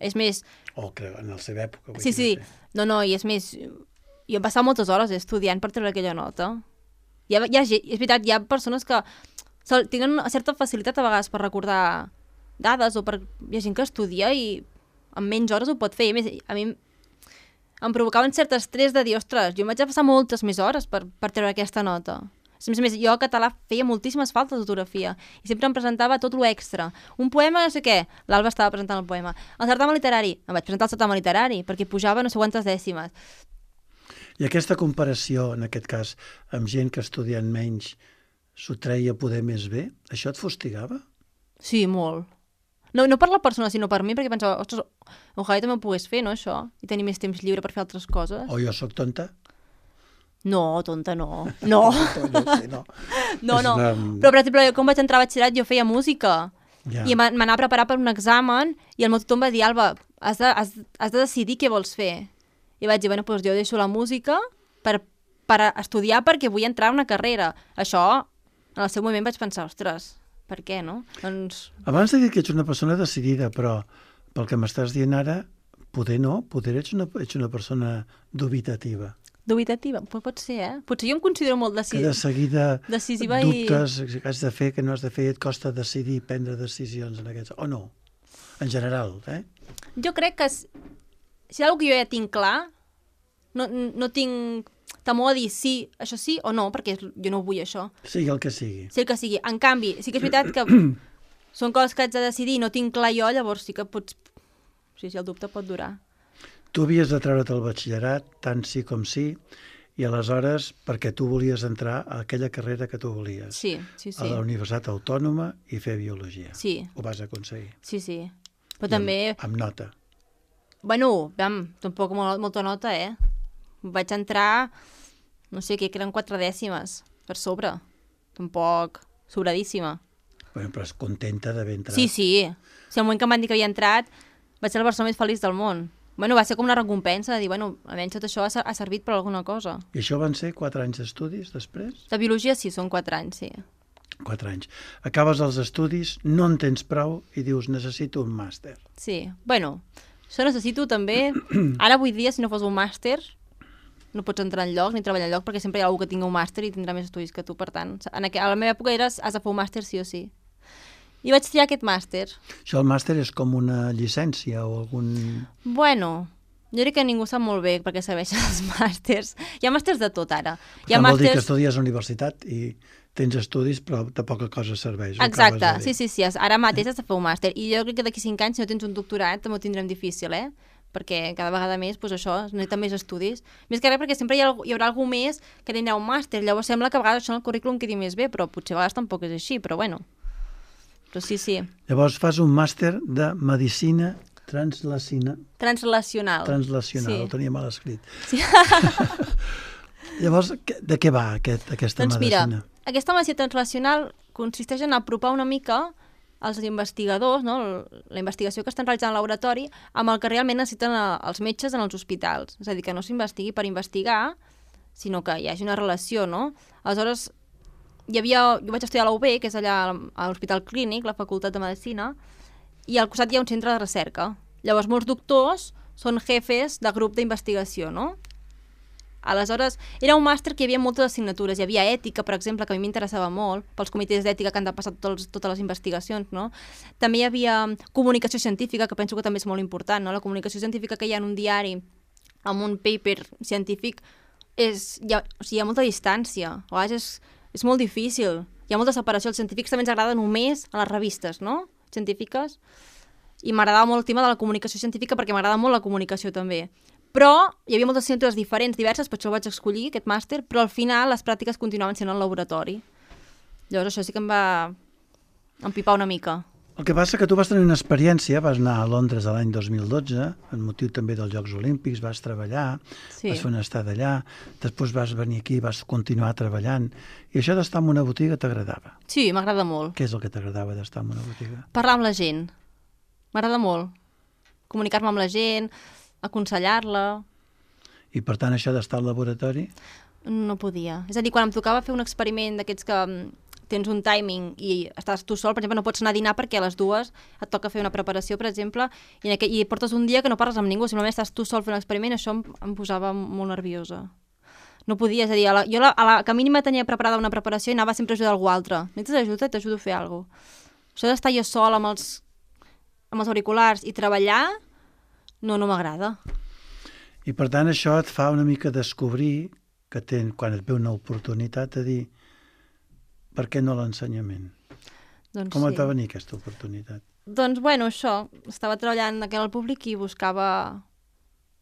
És més... O en la seva època. Sí. No, i és més... Jo em passava moltes hores estudiant per treure aquella nota. És veritat, hi ha persones que tenen una certa facilitat a vegades per recordar dades o hi ha gent que estudia i en menys hores ho pot fer. I a més, a mi em provocava un cert estrès de dir, ostres, jo em vaig passar moltes més hores per treure aquesta nota. A més, jo a català feia moltíssimes faltes d'ortografia i sempre em presentava tot lo extra. Un poema, no sé què, l'Alba estava presentant el poema. El certamen literari, em vaig presentar el certamen literari perquè pujava no sé quantes dècimes. I aquesta comparació, en aquest cas, amb gent que estudiant menys s'ho treia poder més bé, això et fustigava? Sí, molt. No per la persona, sinó per mi, perquè pensava, ostres, ojalà també ho pogués fer, no, això? I tenir més temps lliure per fer altres coses. O jo sóc tonta? No, tonta no. No. No sé, no. No. És una- Però, per exemple, quan vaig entrar a batxillerat jo feia música. Ja. I m'anava a preparar per un examen i el meu tutor em va dir, Alba, has de decidir què vols fer. I vaig dir, bueno, doncs jo deixo la música per estudiar perquè vull entrar a una carrera. Això, en el seu moment vaig pensar, ostres, per què, no? Doncs... Abans de dir que ets una persona decidida, però pel que m'estàs dient ara, poder no, poder ets una persona dubitativa. Dubitativa, pot ser, eh? Potser jo em considero molt Que de seguida decisiva dubtes que has de fer, que no has de fer, i et costa decidir, prendre decisions en aquests... O no, en general, eh? Jo crec que si és una cosa que jo ja tinc clar, no tinc temor a dir sí, això sí o no, perquè jo no vull això. Sigui el que sigui. Sí el que sigui. En canvi, sí que és veritat que són coses que haig de decidir i no tinc clar jo, llavors sí que pots... Sí, el dubte pot durar. Tu havies de treure't el batxillerat, tant sí com sí, i aleshores, perquè tu volies entrar a aquella carrera que tu volies. Sí. A la Universitat Autònoma i fer biologia. Sí. Ho vas aconseguir. Sí. Però també... Amb nota. Bueno, tampoc molta nota, eh? Vaig entrar, no sé, que eren 4 dècimes per sobre. Tampoc sobradíssima. Bueno, però és contenta d'haver entrat. Sí. Si al moment que em van dir que havia entrat, vaig ser la persona més feliç del món. Bueno, va ser com una recompensa de dir, bueno, almenys tot això ha servit per alguna cosa. I això van ser 4 anys d'estudis després? De biologia sí, són 4 anys, sí. 4 anys. Acabes els estudis, no en tens prou i dius, necessito un màster. Sí, bueno, això necessito també... Ara avui dia, si no fos un màster, no pots entrar enlloc ni treballar enlloc perquè sempre hi ha algú que tingui un màster i tindrà més estudis que tu, per tant. A la meva època has de fer un màster sí o sí. I vaig triar aquest màster. Això el màster és com una llicència o algun... Bueno, jo crec que ningú sap molt bé perquè serveixen els màsters. Hi ha màsters de tot ara. Hi ha Vol dir que màsters... estudies a la universitat i tens estudis però de poca cosa serveix. Exacte, sí. Ara mateix has de fer un màster. I jo crec que d'aquí 5 anys, si no tens un doctorat, també ho tindrem difícil, eh? Perquè cada vegada més, doncs això, es necessita més estudis. Més que res perquè sempre hi haurà algú més que tindrà un màster. Llavors sembla que a vegades això en el currículum quedi més bé, però potser a vegades tampoc és així, però bueno. Però sí. Llavors fas un màster de Medicina Translacional. Sí. Ho tenia mal escrit. Sí. Llavors, de què va aquesta doncs medicina? Mira, aquesta medicina translacional consisteix en apropar una mica els investigadors, no? La investigació que estan realitzant al laboratori, amb el que realment necessiten els metges en els hospitals. És a dir, que no s'investigui per investigar, sinó que hi hagi una relació, no? Aleshores, jo vaig estudiar a la UB, que és allà a l'Hospital Clínic, la Facultat de Medicina, i al costat hi ha un centre de recerca. Llavors, molts doctors són jefes de grup d'investigació, no? Aleshores, era un màster que hi havia moltes assignatures. Hi havia ètica, per exemple, que a mi m'interessava molt, pels comitès d'ètica que han de passar totes les investigacions, no? També hi havia comunicació científica, que penso que també és molt important, no? La comunicació científica que hi ha en un diari, amb un paper científic, hi ha molta distància. A vegades és molt difícil. Hi ha molta separació. Els científics també ens agrada només a les revistes, no? Científiques. I m'agradava molt el tema de la comunicació científica perquè m'agrada molt la comunicació també. Però hi havia moltes assignatures diferents, diverses, per això el vaig escollir, aquest màster, però al final les pràctiques continuaven sent al laboratori. Llavors això sí que em va empipar una mica. El que passa que tu vas tenir una experiència, vas anar a Londres l'any 2012, en motiu també dels Jocs Olímpics, vas treballar, vas fer una estada allà, després vas venir aquí, vas continuar treballant, i això d'estar en una botiga t'agradava. Sí, m'agrada molt. Què és el que t'agradava d'estar en una botiga? Parlar amb la gent. M'agrada molt. Comunicar-me amb la gent, aconsellar-la. I per tant això d'estar al laboratori? No podia. És a dir, quan em tocava fer un experiment d'aquests que tens un timing i estàs tu sol, per exemple, no pots anar a dinar perquè a les 2 et toca fer una preparació, per exemple, i portes un dia que no parles amb ningú, simplement estàs tu sol fent un experiment, això em posava molt nerviosa. No podia, és a dir, jo a la que mínima tenia preparada una preparació i anava sempre a ajudar algú altre. Necessites ajuda? T'ajudo a fer alguna cosa. Això d'estar jo sol amb els auriculars i treballar, no m'agrada. I per tant això et fa una mica descobrir que quan et ve una oportunitat de dir per què no l'ensenyament? Doncs Com sí. et va venir aquesta oportunitat? Doncs, bueno, això, estava treballant aquí al públic i buscava...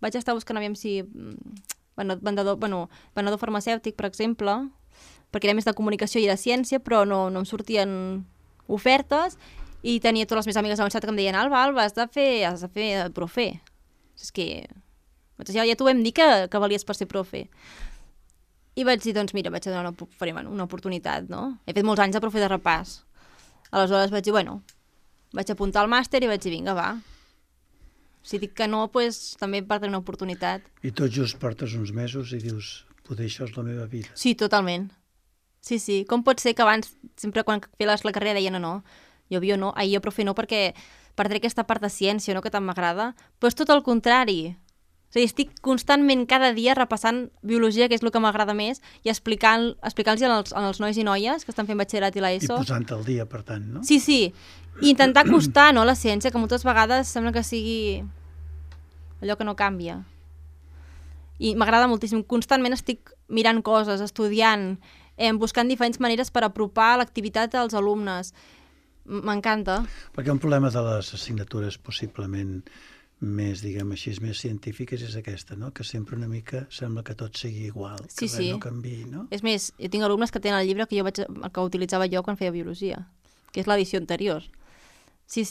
Vaig estar buscant, aviam si... venedor farmacèutic, per exemple, perquè era més de comunicació i de ciència, però no em sortien ofertes i tenia totes les meves amigues a la universitat que em deien Alba, has de fer profe. És que ja t'ho vam dir que valies per ser profe. I vaig dir, doncs mira, vaig a donar una oportunitat, no? He fet molts anys de profe de repàs. Aleshores vaig dir, vaig apuntar al màster i vaig dir, vinga, va. Si dic que no, doncs també perdré una oportunitat. I tot just portes uns mesos i dius, poder això és la meva vida. Sí, totalment. Sí. Com pot ser que abans, sempre quan feies la carrera deia no, jo no, jo profe no, perquè perdré aquesta part de ciència, no?, que tant m'agrada. Però és tot el contrari. És a dir, estic constantment cada dia repassant biologia, que és el que m'agrada més, i explicant-los als nois i noies que estan fent batxillerat i l'ESO. I posant-te al dia, per tant, no? Sí. I intentar acostar, no?, la ciència, que moltes vegades sembla que sigui allò que no canvia. I m'agrada moltíssim. Constantment estic mirant coses, estudiant, buscant diferents maneres per apropar l'activitat als alumnes. M'encanta. Perquè un problema de les assignatures possiblement més, diguem així, més científiques és aquesta, no? Que sempre una mica sembla que tot sigui igual, que res no canviï, no? És més, jo tinc alumnes que tenen el llibre que utilitzava jo quan feia biologia, que és l'edició anterior. Sí.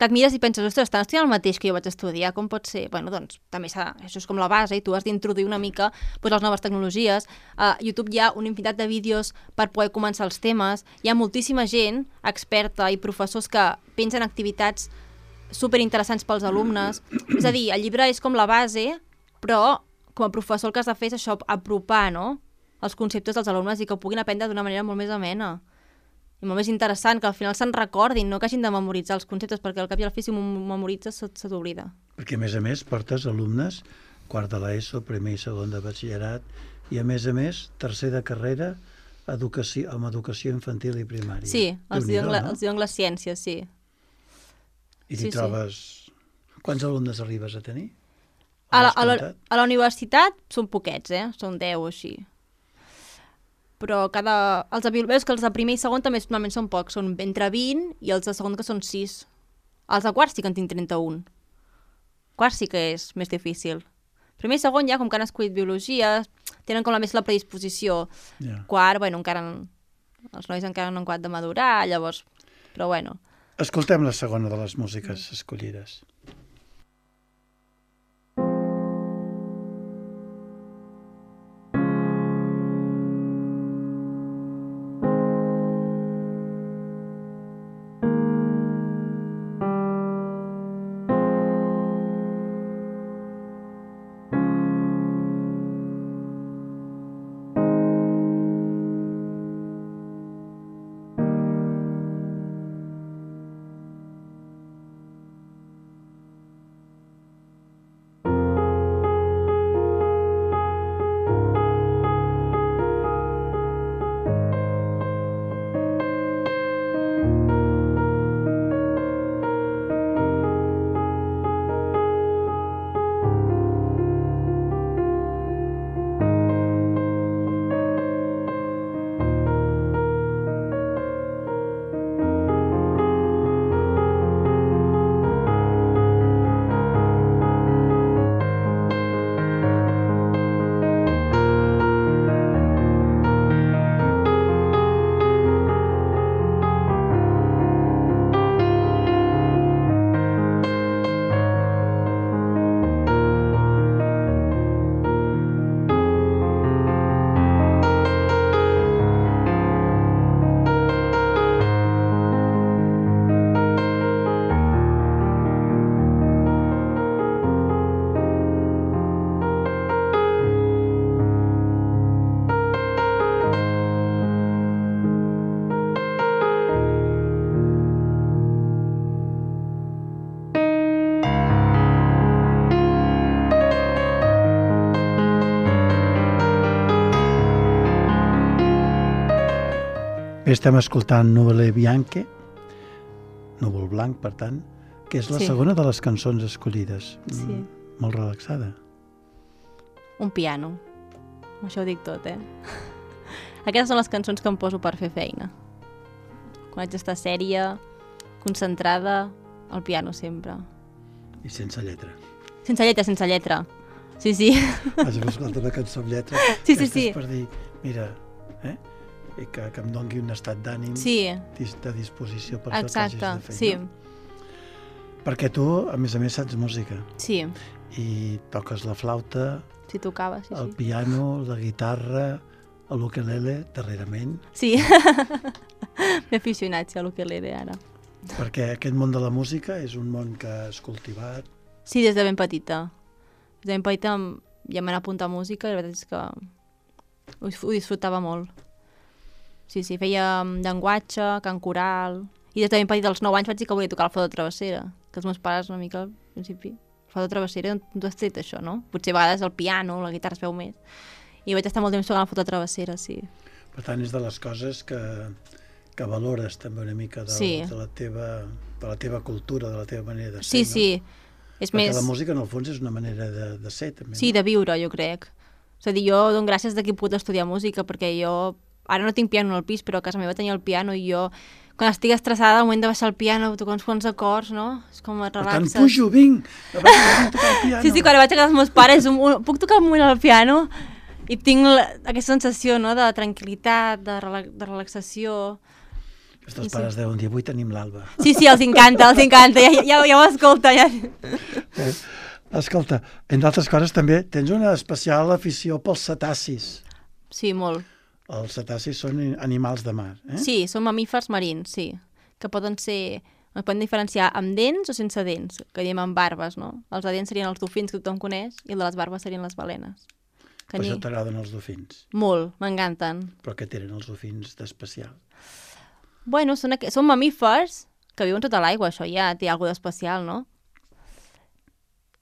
Que et mires i penses, ostres, estan estudiant el mateix que jo vaig estudiar, com pot ser? Doncs també això és com la base i tu has d'introduir una mica les noves tecnologies. A YouTube hi ha una infinitat de vídeos per poder començar els temes. Hi ha moltíssima gent experta i professors que pensen activitats superinteressants pels alumnes. És a dir, el llibre és com la base, però com a professor el que has de fer és això, apropar, no?, els conceptes dels alumnes i que ho puguin aprendre d'una manera molt més amena i molt més interessant, que al final se'n recordin, no que hagin de memoritzar els conceptes, perquè al cap i al fi si m'ho memoritzes se t'oblida. Perquè a més portes alumnes, quart de l'ESO, primer i segon de batxillerat, i a més, tercer de carrera amb educació infantil i primària. Sí, els diuen les ciències, sí. I t'hi trobes... Quants alumnes arribes a tenir? A la universitat són poquets, són 10 o així. Però veus que els de primer i segon també normalment són pocs, són entre 20 i els de segon que són 6. Els de quart sí que en tinc 31. Quart sí que és més difícil. Primer i segon ja, com que han escollit biologia, tenen com més la predisposició. Quart, encara els nois encara no han acabat de madurar, llavors... Però bueno... Escoltem la segona de les músiques escollides. Estem escoltant Nuvole Bianche, Núvol Blanc, per tant, que és la segona de les cançons escollides. Sí. Molt relaxada. Un piano. Això ho dic tot, Aquestes són les cançons que em poso per fer feina. Quan haig d'estar sèria, concentrada, al piano sempre. I sense lletra. Sense lletra. Sí, sí. Vaig a escoltar una cançó amb lletra. Sí, Aquesta sí. és per dir, mira, i que em doni un estat d'ànim Sí, de disposició per tot que exacte, hagis de fer. sí, No? Perquè tu, a més, saps música sí. i toques la flauta, Si tocava, sí, el sí. piano, la guitarra, l'ukelele, darrerament, Sí. M'he aficionat, sí, a l'ukelele ara. perquè aquest món de la música és un món que has cultivat. Sí, des de ben petita. Des de ben petita ja m'he apuntat a música i la veritat és que ho disfrutava molt. Sí, sí, feia llenguatge, cant coral... I des de ben petita, als 9 anys, vaig dir que volia tocar el flauta travessera, que els meus pares una mica, al principi, el flauta travessera, on tu has tret això, no? Potser a vegades el piano, la guitarra es veu més. I vaig estar molt temps tocant la flauta travessera, sí. Per tant, és de les coses que valores també una mica Sí. de la teva cultura, de la teva manera de ser, Sí, no? sí. És Perquè més... la música, en el fons, és una manera de ser, també. Sí, de viure, jo crec. És a dir, jo dono gràcies de que he pogut estudiar música, perquè jo... Ara no tinc piano al pis, però a casa meva tenia el piano i jo, quan estic estressada, al moment de baixar el piano, tocar uns quants acords, no? És com et Per relaxes. tant, pujo, vinc a tocar el piano. Sí, sí, quan vaig a casa dels meus pares, puc tocar un moment al piano i tinc aquesta sensació, no?, de tranquil·litat, de relaxació. Els pares deuen dir, avui tenim l'Alba. Sí, sí, els encanta, ja ho escolta. Ja. Escolta, entre altres coses també tens una especial afició pels cetacis. Sí, molt. Els cetacis són animals de mar, eh? Sí, són mamífers marins, sí, que poden diferenciar amb dents o sense dents, que diem amb barbes, no? Els de dents serien els dofins que tothom coneix i els de les barbes serien les balenes. Per això t'agraden els dofins. Molt, m'encanten. Però què tenen els dofins d'especial? Bueno, són mamífers que viuen tota l'aigua, això ja té alguna d'especial, no?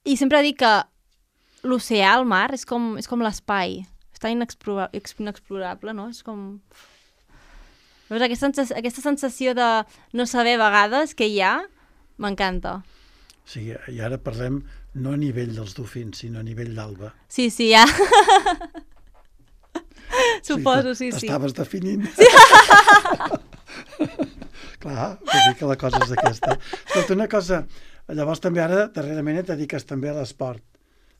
I sempre dic que l'oceà, el mar, és com l'espai. És tan inexplorable, no? És com... Veus, aquesta sensació de no saber a vegades què hi ha, m'encanta. O sigui, i ara parlem no a nivell dels dofins, sinó a nivell d'Alba. Sí, sí, ja. Suposo, sí, sí. Estaves definint. Clar, vull dir que la cosa és aquesta. Escolta, una cosa, llavors també ara, darrerament, et dediques també a l'esport.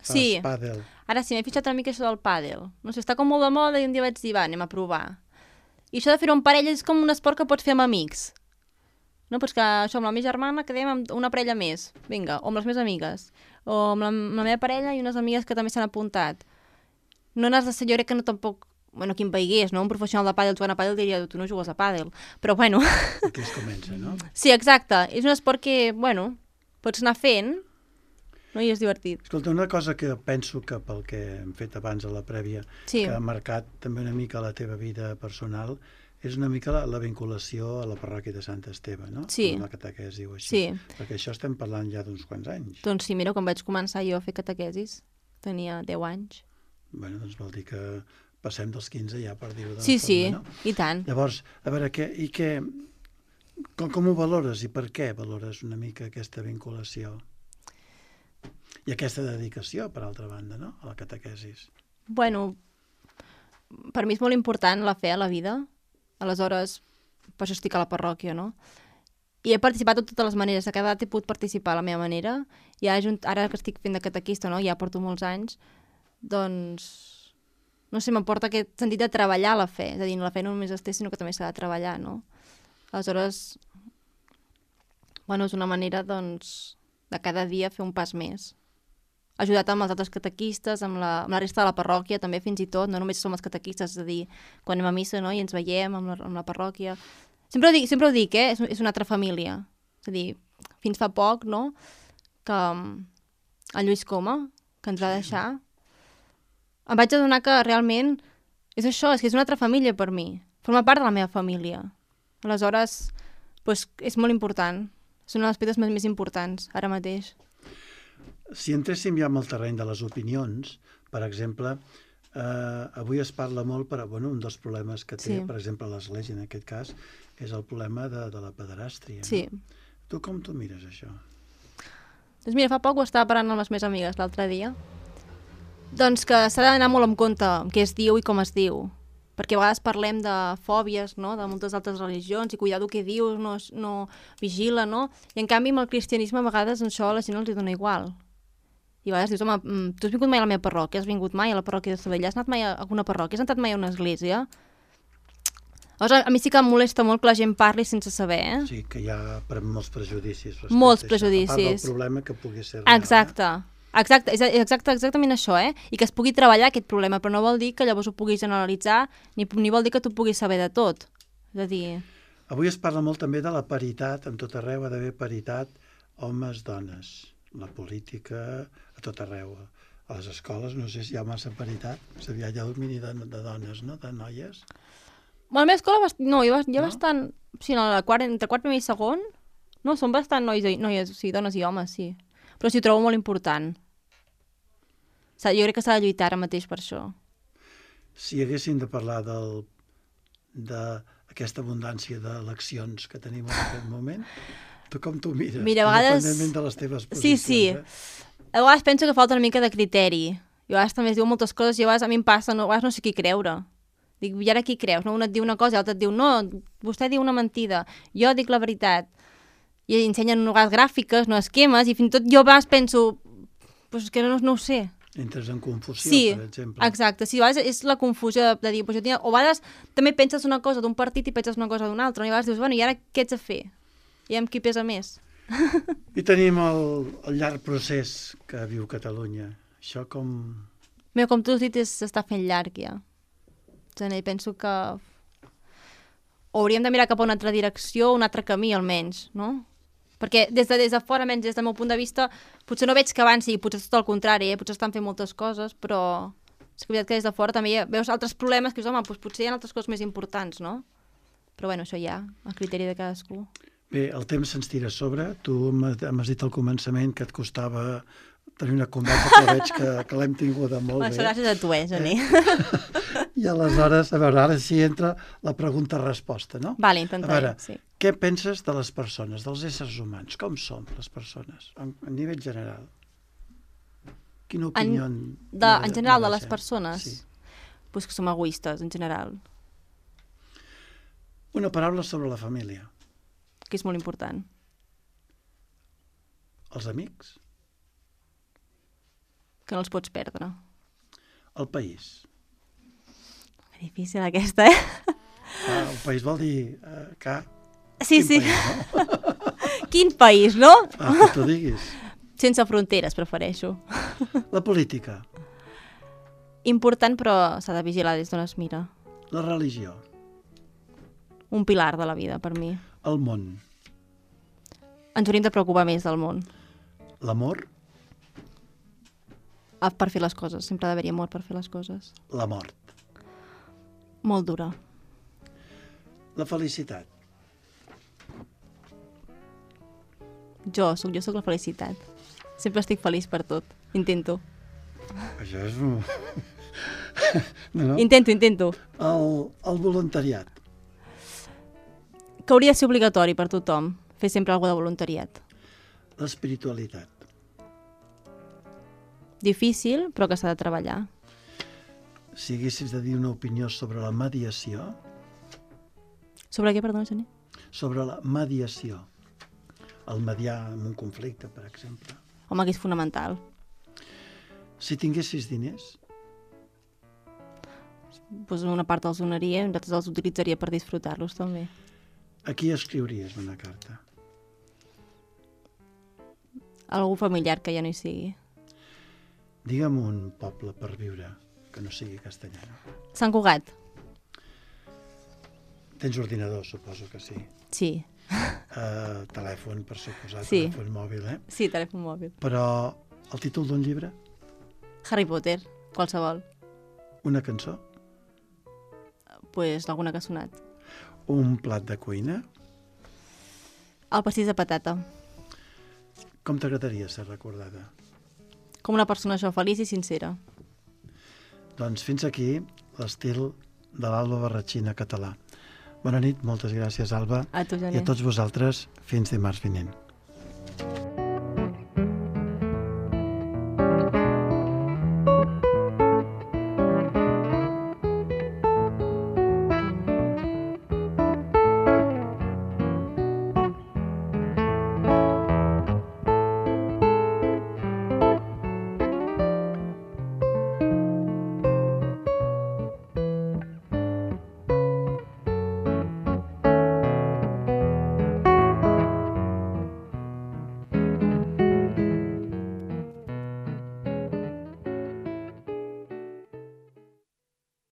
Sí. Fas pàdel. Ara sí, m'he fixat una mica això del pàdel. No sé, està com molt de moda i un dia vaig dir, va, anem a provar. I això de fer-ho en parella és com un esport que pots fer amb amics. No, doncs que això, amb la meva germana quedem amb una parella més, vinga, o amb les meves amigues, o amb la meva parella i unes amigues que també s'han apuntat. No n'has de ser, jo crec que no tampoc, bueno, qui em veigués, no? Un professional de pàdel jugant a pàdel diria, tu no jugues a pàdel, però bueno. Aquí es comença, no? Sí, exacte. És un esport que, bueno, pots anar fent, no? I és divertit. Escolta, una cosa que penso que pel que hem fet abans a la prèvia, Sí. que ha marcat també una mica la teva vida personal, és una mica la vinculació a la parròquia de Sant Esteve, no? Sí. Amb la catequesi o així. Sí. Perquè això estem parlant ja d'uns quants anys. Doncs sí, mira, quan vaig començar jo a fer catequesis, tenia 10 anys. Bueno, doncs vol dir que passem dels 15 ja, per dir-ho d'una Sí, forma, sí, no? i tant. Llavors, a veure, com ho valores i per què valores una mica aquesta vinculació? I aquesta dedicació, per altra banda, no?, a la catequesis. Bueno, per mi és molt important la fe a la vida. Aleshores, per això estic a la parròquia, no? I he participat de totes les maneres. A cada edat he pogut participar a la meva manera. I ara que estic fent de catequista, no?, ja porto molts anys, doncs, no sé, m'aporta aquest sentit de treballar la fe. És a dir, la fe no només es té, sinó que també s'ha de treballar, no? Aleshores, bueno, és una manera, doncs, de cada dia fer un pas més. Ajudat amb els altres catequistes, amb la resta de la parròquia, també fins i tot, no només som els catequistes, és a dir, quan anem a missa, no?, i ens veiem amb la parròquia. Sempre ho dic, és una altra família. És a dir, fins fa poc, no?, que el Lluís Coma, que ens va deixar, em vaig adonar que realment és això, és que és una altra família per mi. Forma part de la meva família. Aleshores, doncs, és molt important. És una de les pedres més importants, ara mateix. Si entréssim ja en el terreny de les opinions, per exemple, avui es parla molt, un dels problemes que té, Sí. per exemple, l'Església, en aquest cas, és el problema de la pederàstria. Sí. No? Tu com tu mires això? Doncs mira, fa poc ho estava parlant amb les meves amigues l'altre dia. Doncs que s'ha d'anar molt en compte amb què es diu i com es diu. Perquè a vegades parlem de fòbies, no?, de moltes altres religions, i cuidado què dius, no vigila, no? I en canvi amb el cristianisme a vegades això a la gent els dona igual. I a vegades dius, home, tu has vingut mai a la meva parròquia, has vingut mai a la parròquia de Sabadell, has anat mai a alguna parròquia, has entrat mai a una església? Llavors, a mi sí que em molesta molt que la gent parli sense saber, Sí, que hi ha molts prejudicis. Molts A part del prejudicis. problema que pugui ser real. Exacte, és exactament això, i que es pugui treballar aquest problema, però no vol dir que llavors ho puguis generalitzar, ni vol dir que tu puguis saber de tot. És a dir... Avui es parla molt també de la paritat, en tot arreu ha d'haver paritat homes-dones. La política, a tot arreu. A les escoles no sé si hi ha massa paritat, hi ha domini de dones, no?, de noies. Bueno, a la meva escola, no, hi ha bastant... Sí, entre quart, primer i segon, no, són bastant noies, sí, dones i homes, sí. Però sí, ho trobo molt important. Jo crec que s'ha de lluitar ara mateix per això. Si haguéssim de parlar d'aquesta abundància d'eleccions que tenim en aquest moment, tu com t'ho mires? Mira, a vegades... Independentment de les teves posicions. Sí. A vegades penso que falta una mica de criteri. I a vegades també es diu moltes coses i a vegades a mi em passa, a vegades no sé qui creure. Dic, i ara qui creus? No? Un et diu una cosa i l'altre et diu, no, vostè diu una mentida, jo dic la veritat. I ensenyen vegades gràfiques, no esquemes, i fins i tot jo a vegades penso, pues que no ho sé. Entres en confusió, Sí, per exemple. exacte. Sí, a vegades és la confusió de dir, pues jo o a vegades també penses una cosa d'un partit i penses una cosa d'un altre, i a vegades dius, bueno, i ara què ets a fer? I amb qui pesa més? I tenim el llarg procés que viu Catalunya. Això com... Mira, com tu has dit, s'està fent llarg ja. I penso que hauríem de mirar cap a una altra direcció, un altre camí almenys, no? Perquè des de fora, almenys des del meu punt de vista, potser no veig que avanci, potser tot el contrari, potser estan fent moltes coses, però és que des de fora també veus altres problemes que dius, home, doncs potser hi ha altres coses més importants, no? Però bueno, això ja, a criteri de cadascú. Bé, el temps se'ns tira a sobre. Tu m'has dit al començament que et costava tenir una conversa, però veig que l'hem tinguda molt bé. Gràcies a tu, Geni. I aleshores, a veure, ara sí entra la pregunta-resposta, no? Vale, intentaré, a veure, sí. Què penses de les persones, dels éssers humans? Com som les persones, a nivell general? Quina opinió... En general, de les persones? Sí. Pues que som egoistes, en general. Una paraula sobre la família. Que és molt important. Els amics? Que no els pots perdre. El país? Difícil aquesta, El país vol dir que... Sí, sí. País, no? Quin país, no? Que t'ho diguis. Sense fronteres, prefereixo. La política. Important, però s'ha de vigilar des d'on es mira. La religió. Un pilar de la vida, per mi. El món. Ens hauríem de preocupar més del món. L'amor. Per fer les coses. Sempre ha d'haver-hi amor per fer les coses. La mort. Molt dura. La felicitat. Jo sóc la felicitat. Sempre estic feliç per tot. Intento. Això és... No. Intento. El voluntariat. Que hauria de ser obligatori per tothom. Fer sempre alguna de voluntariat. L'espiritualitat. Difícil, però que s'ha de treballar. Si haguessis de dir una opinió sobre la mediació... Sobre què, perdona, Geni? Sobre la mediació. El mediar en un conflicte, per exemple. Home, que és fonamental. Si tinguessis diners... Pues una part els donaria i nosaltres els utilitzaria per disfrutar-los, també. A qui escriuries una carta? Algú familiar que ja no hi sigui. Digue'm un poble per viure que no sigui castellà. Sant Cugat. Tens ordinador, suposo que sí. Sí. Telèfon, per suposar, Sí. telèfon mòbil, Sí, telèfon mòbil. Però el títol d'un llibre? Harry Potter, qualsevol. Una cançó? Pues alguna que ha sonat. Un plat de cuina? El pastís de patata. Com t'agradaria ser recordada? Com una persona feliç i sincera. Doncs fins aquí l'estil de l'Alba Barratxina català. Bona nit, moltes gràcies, Alba. A tu, Geni. I a tots vosaltres, fins dimarts vinent.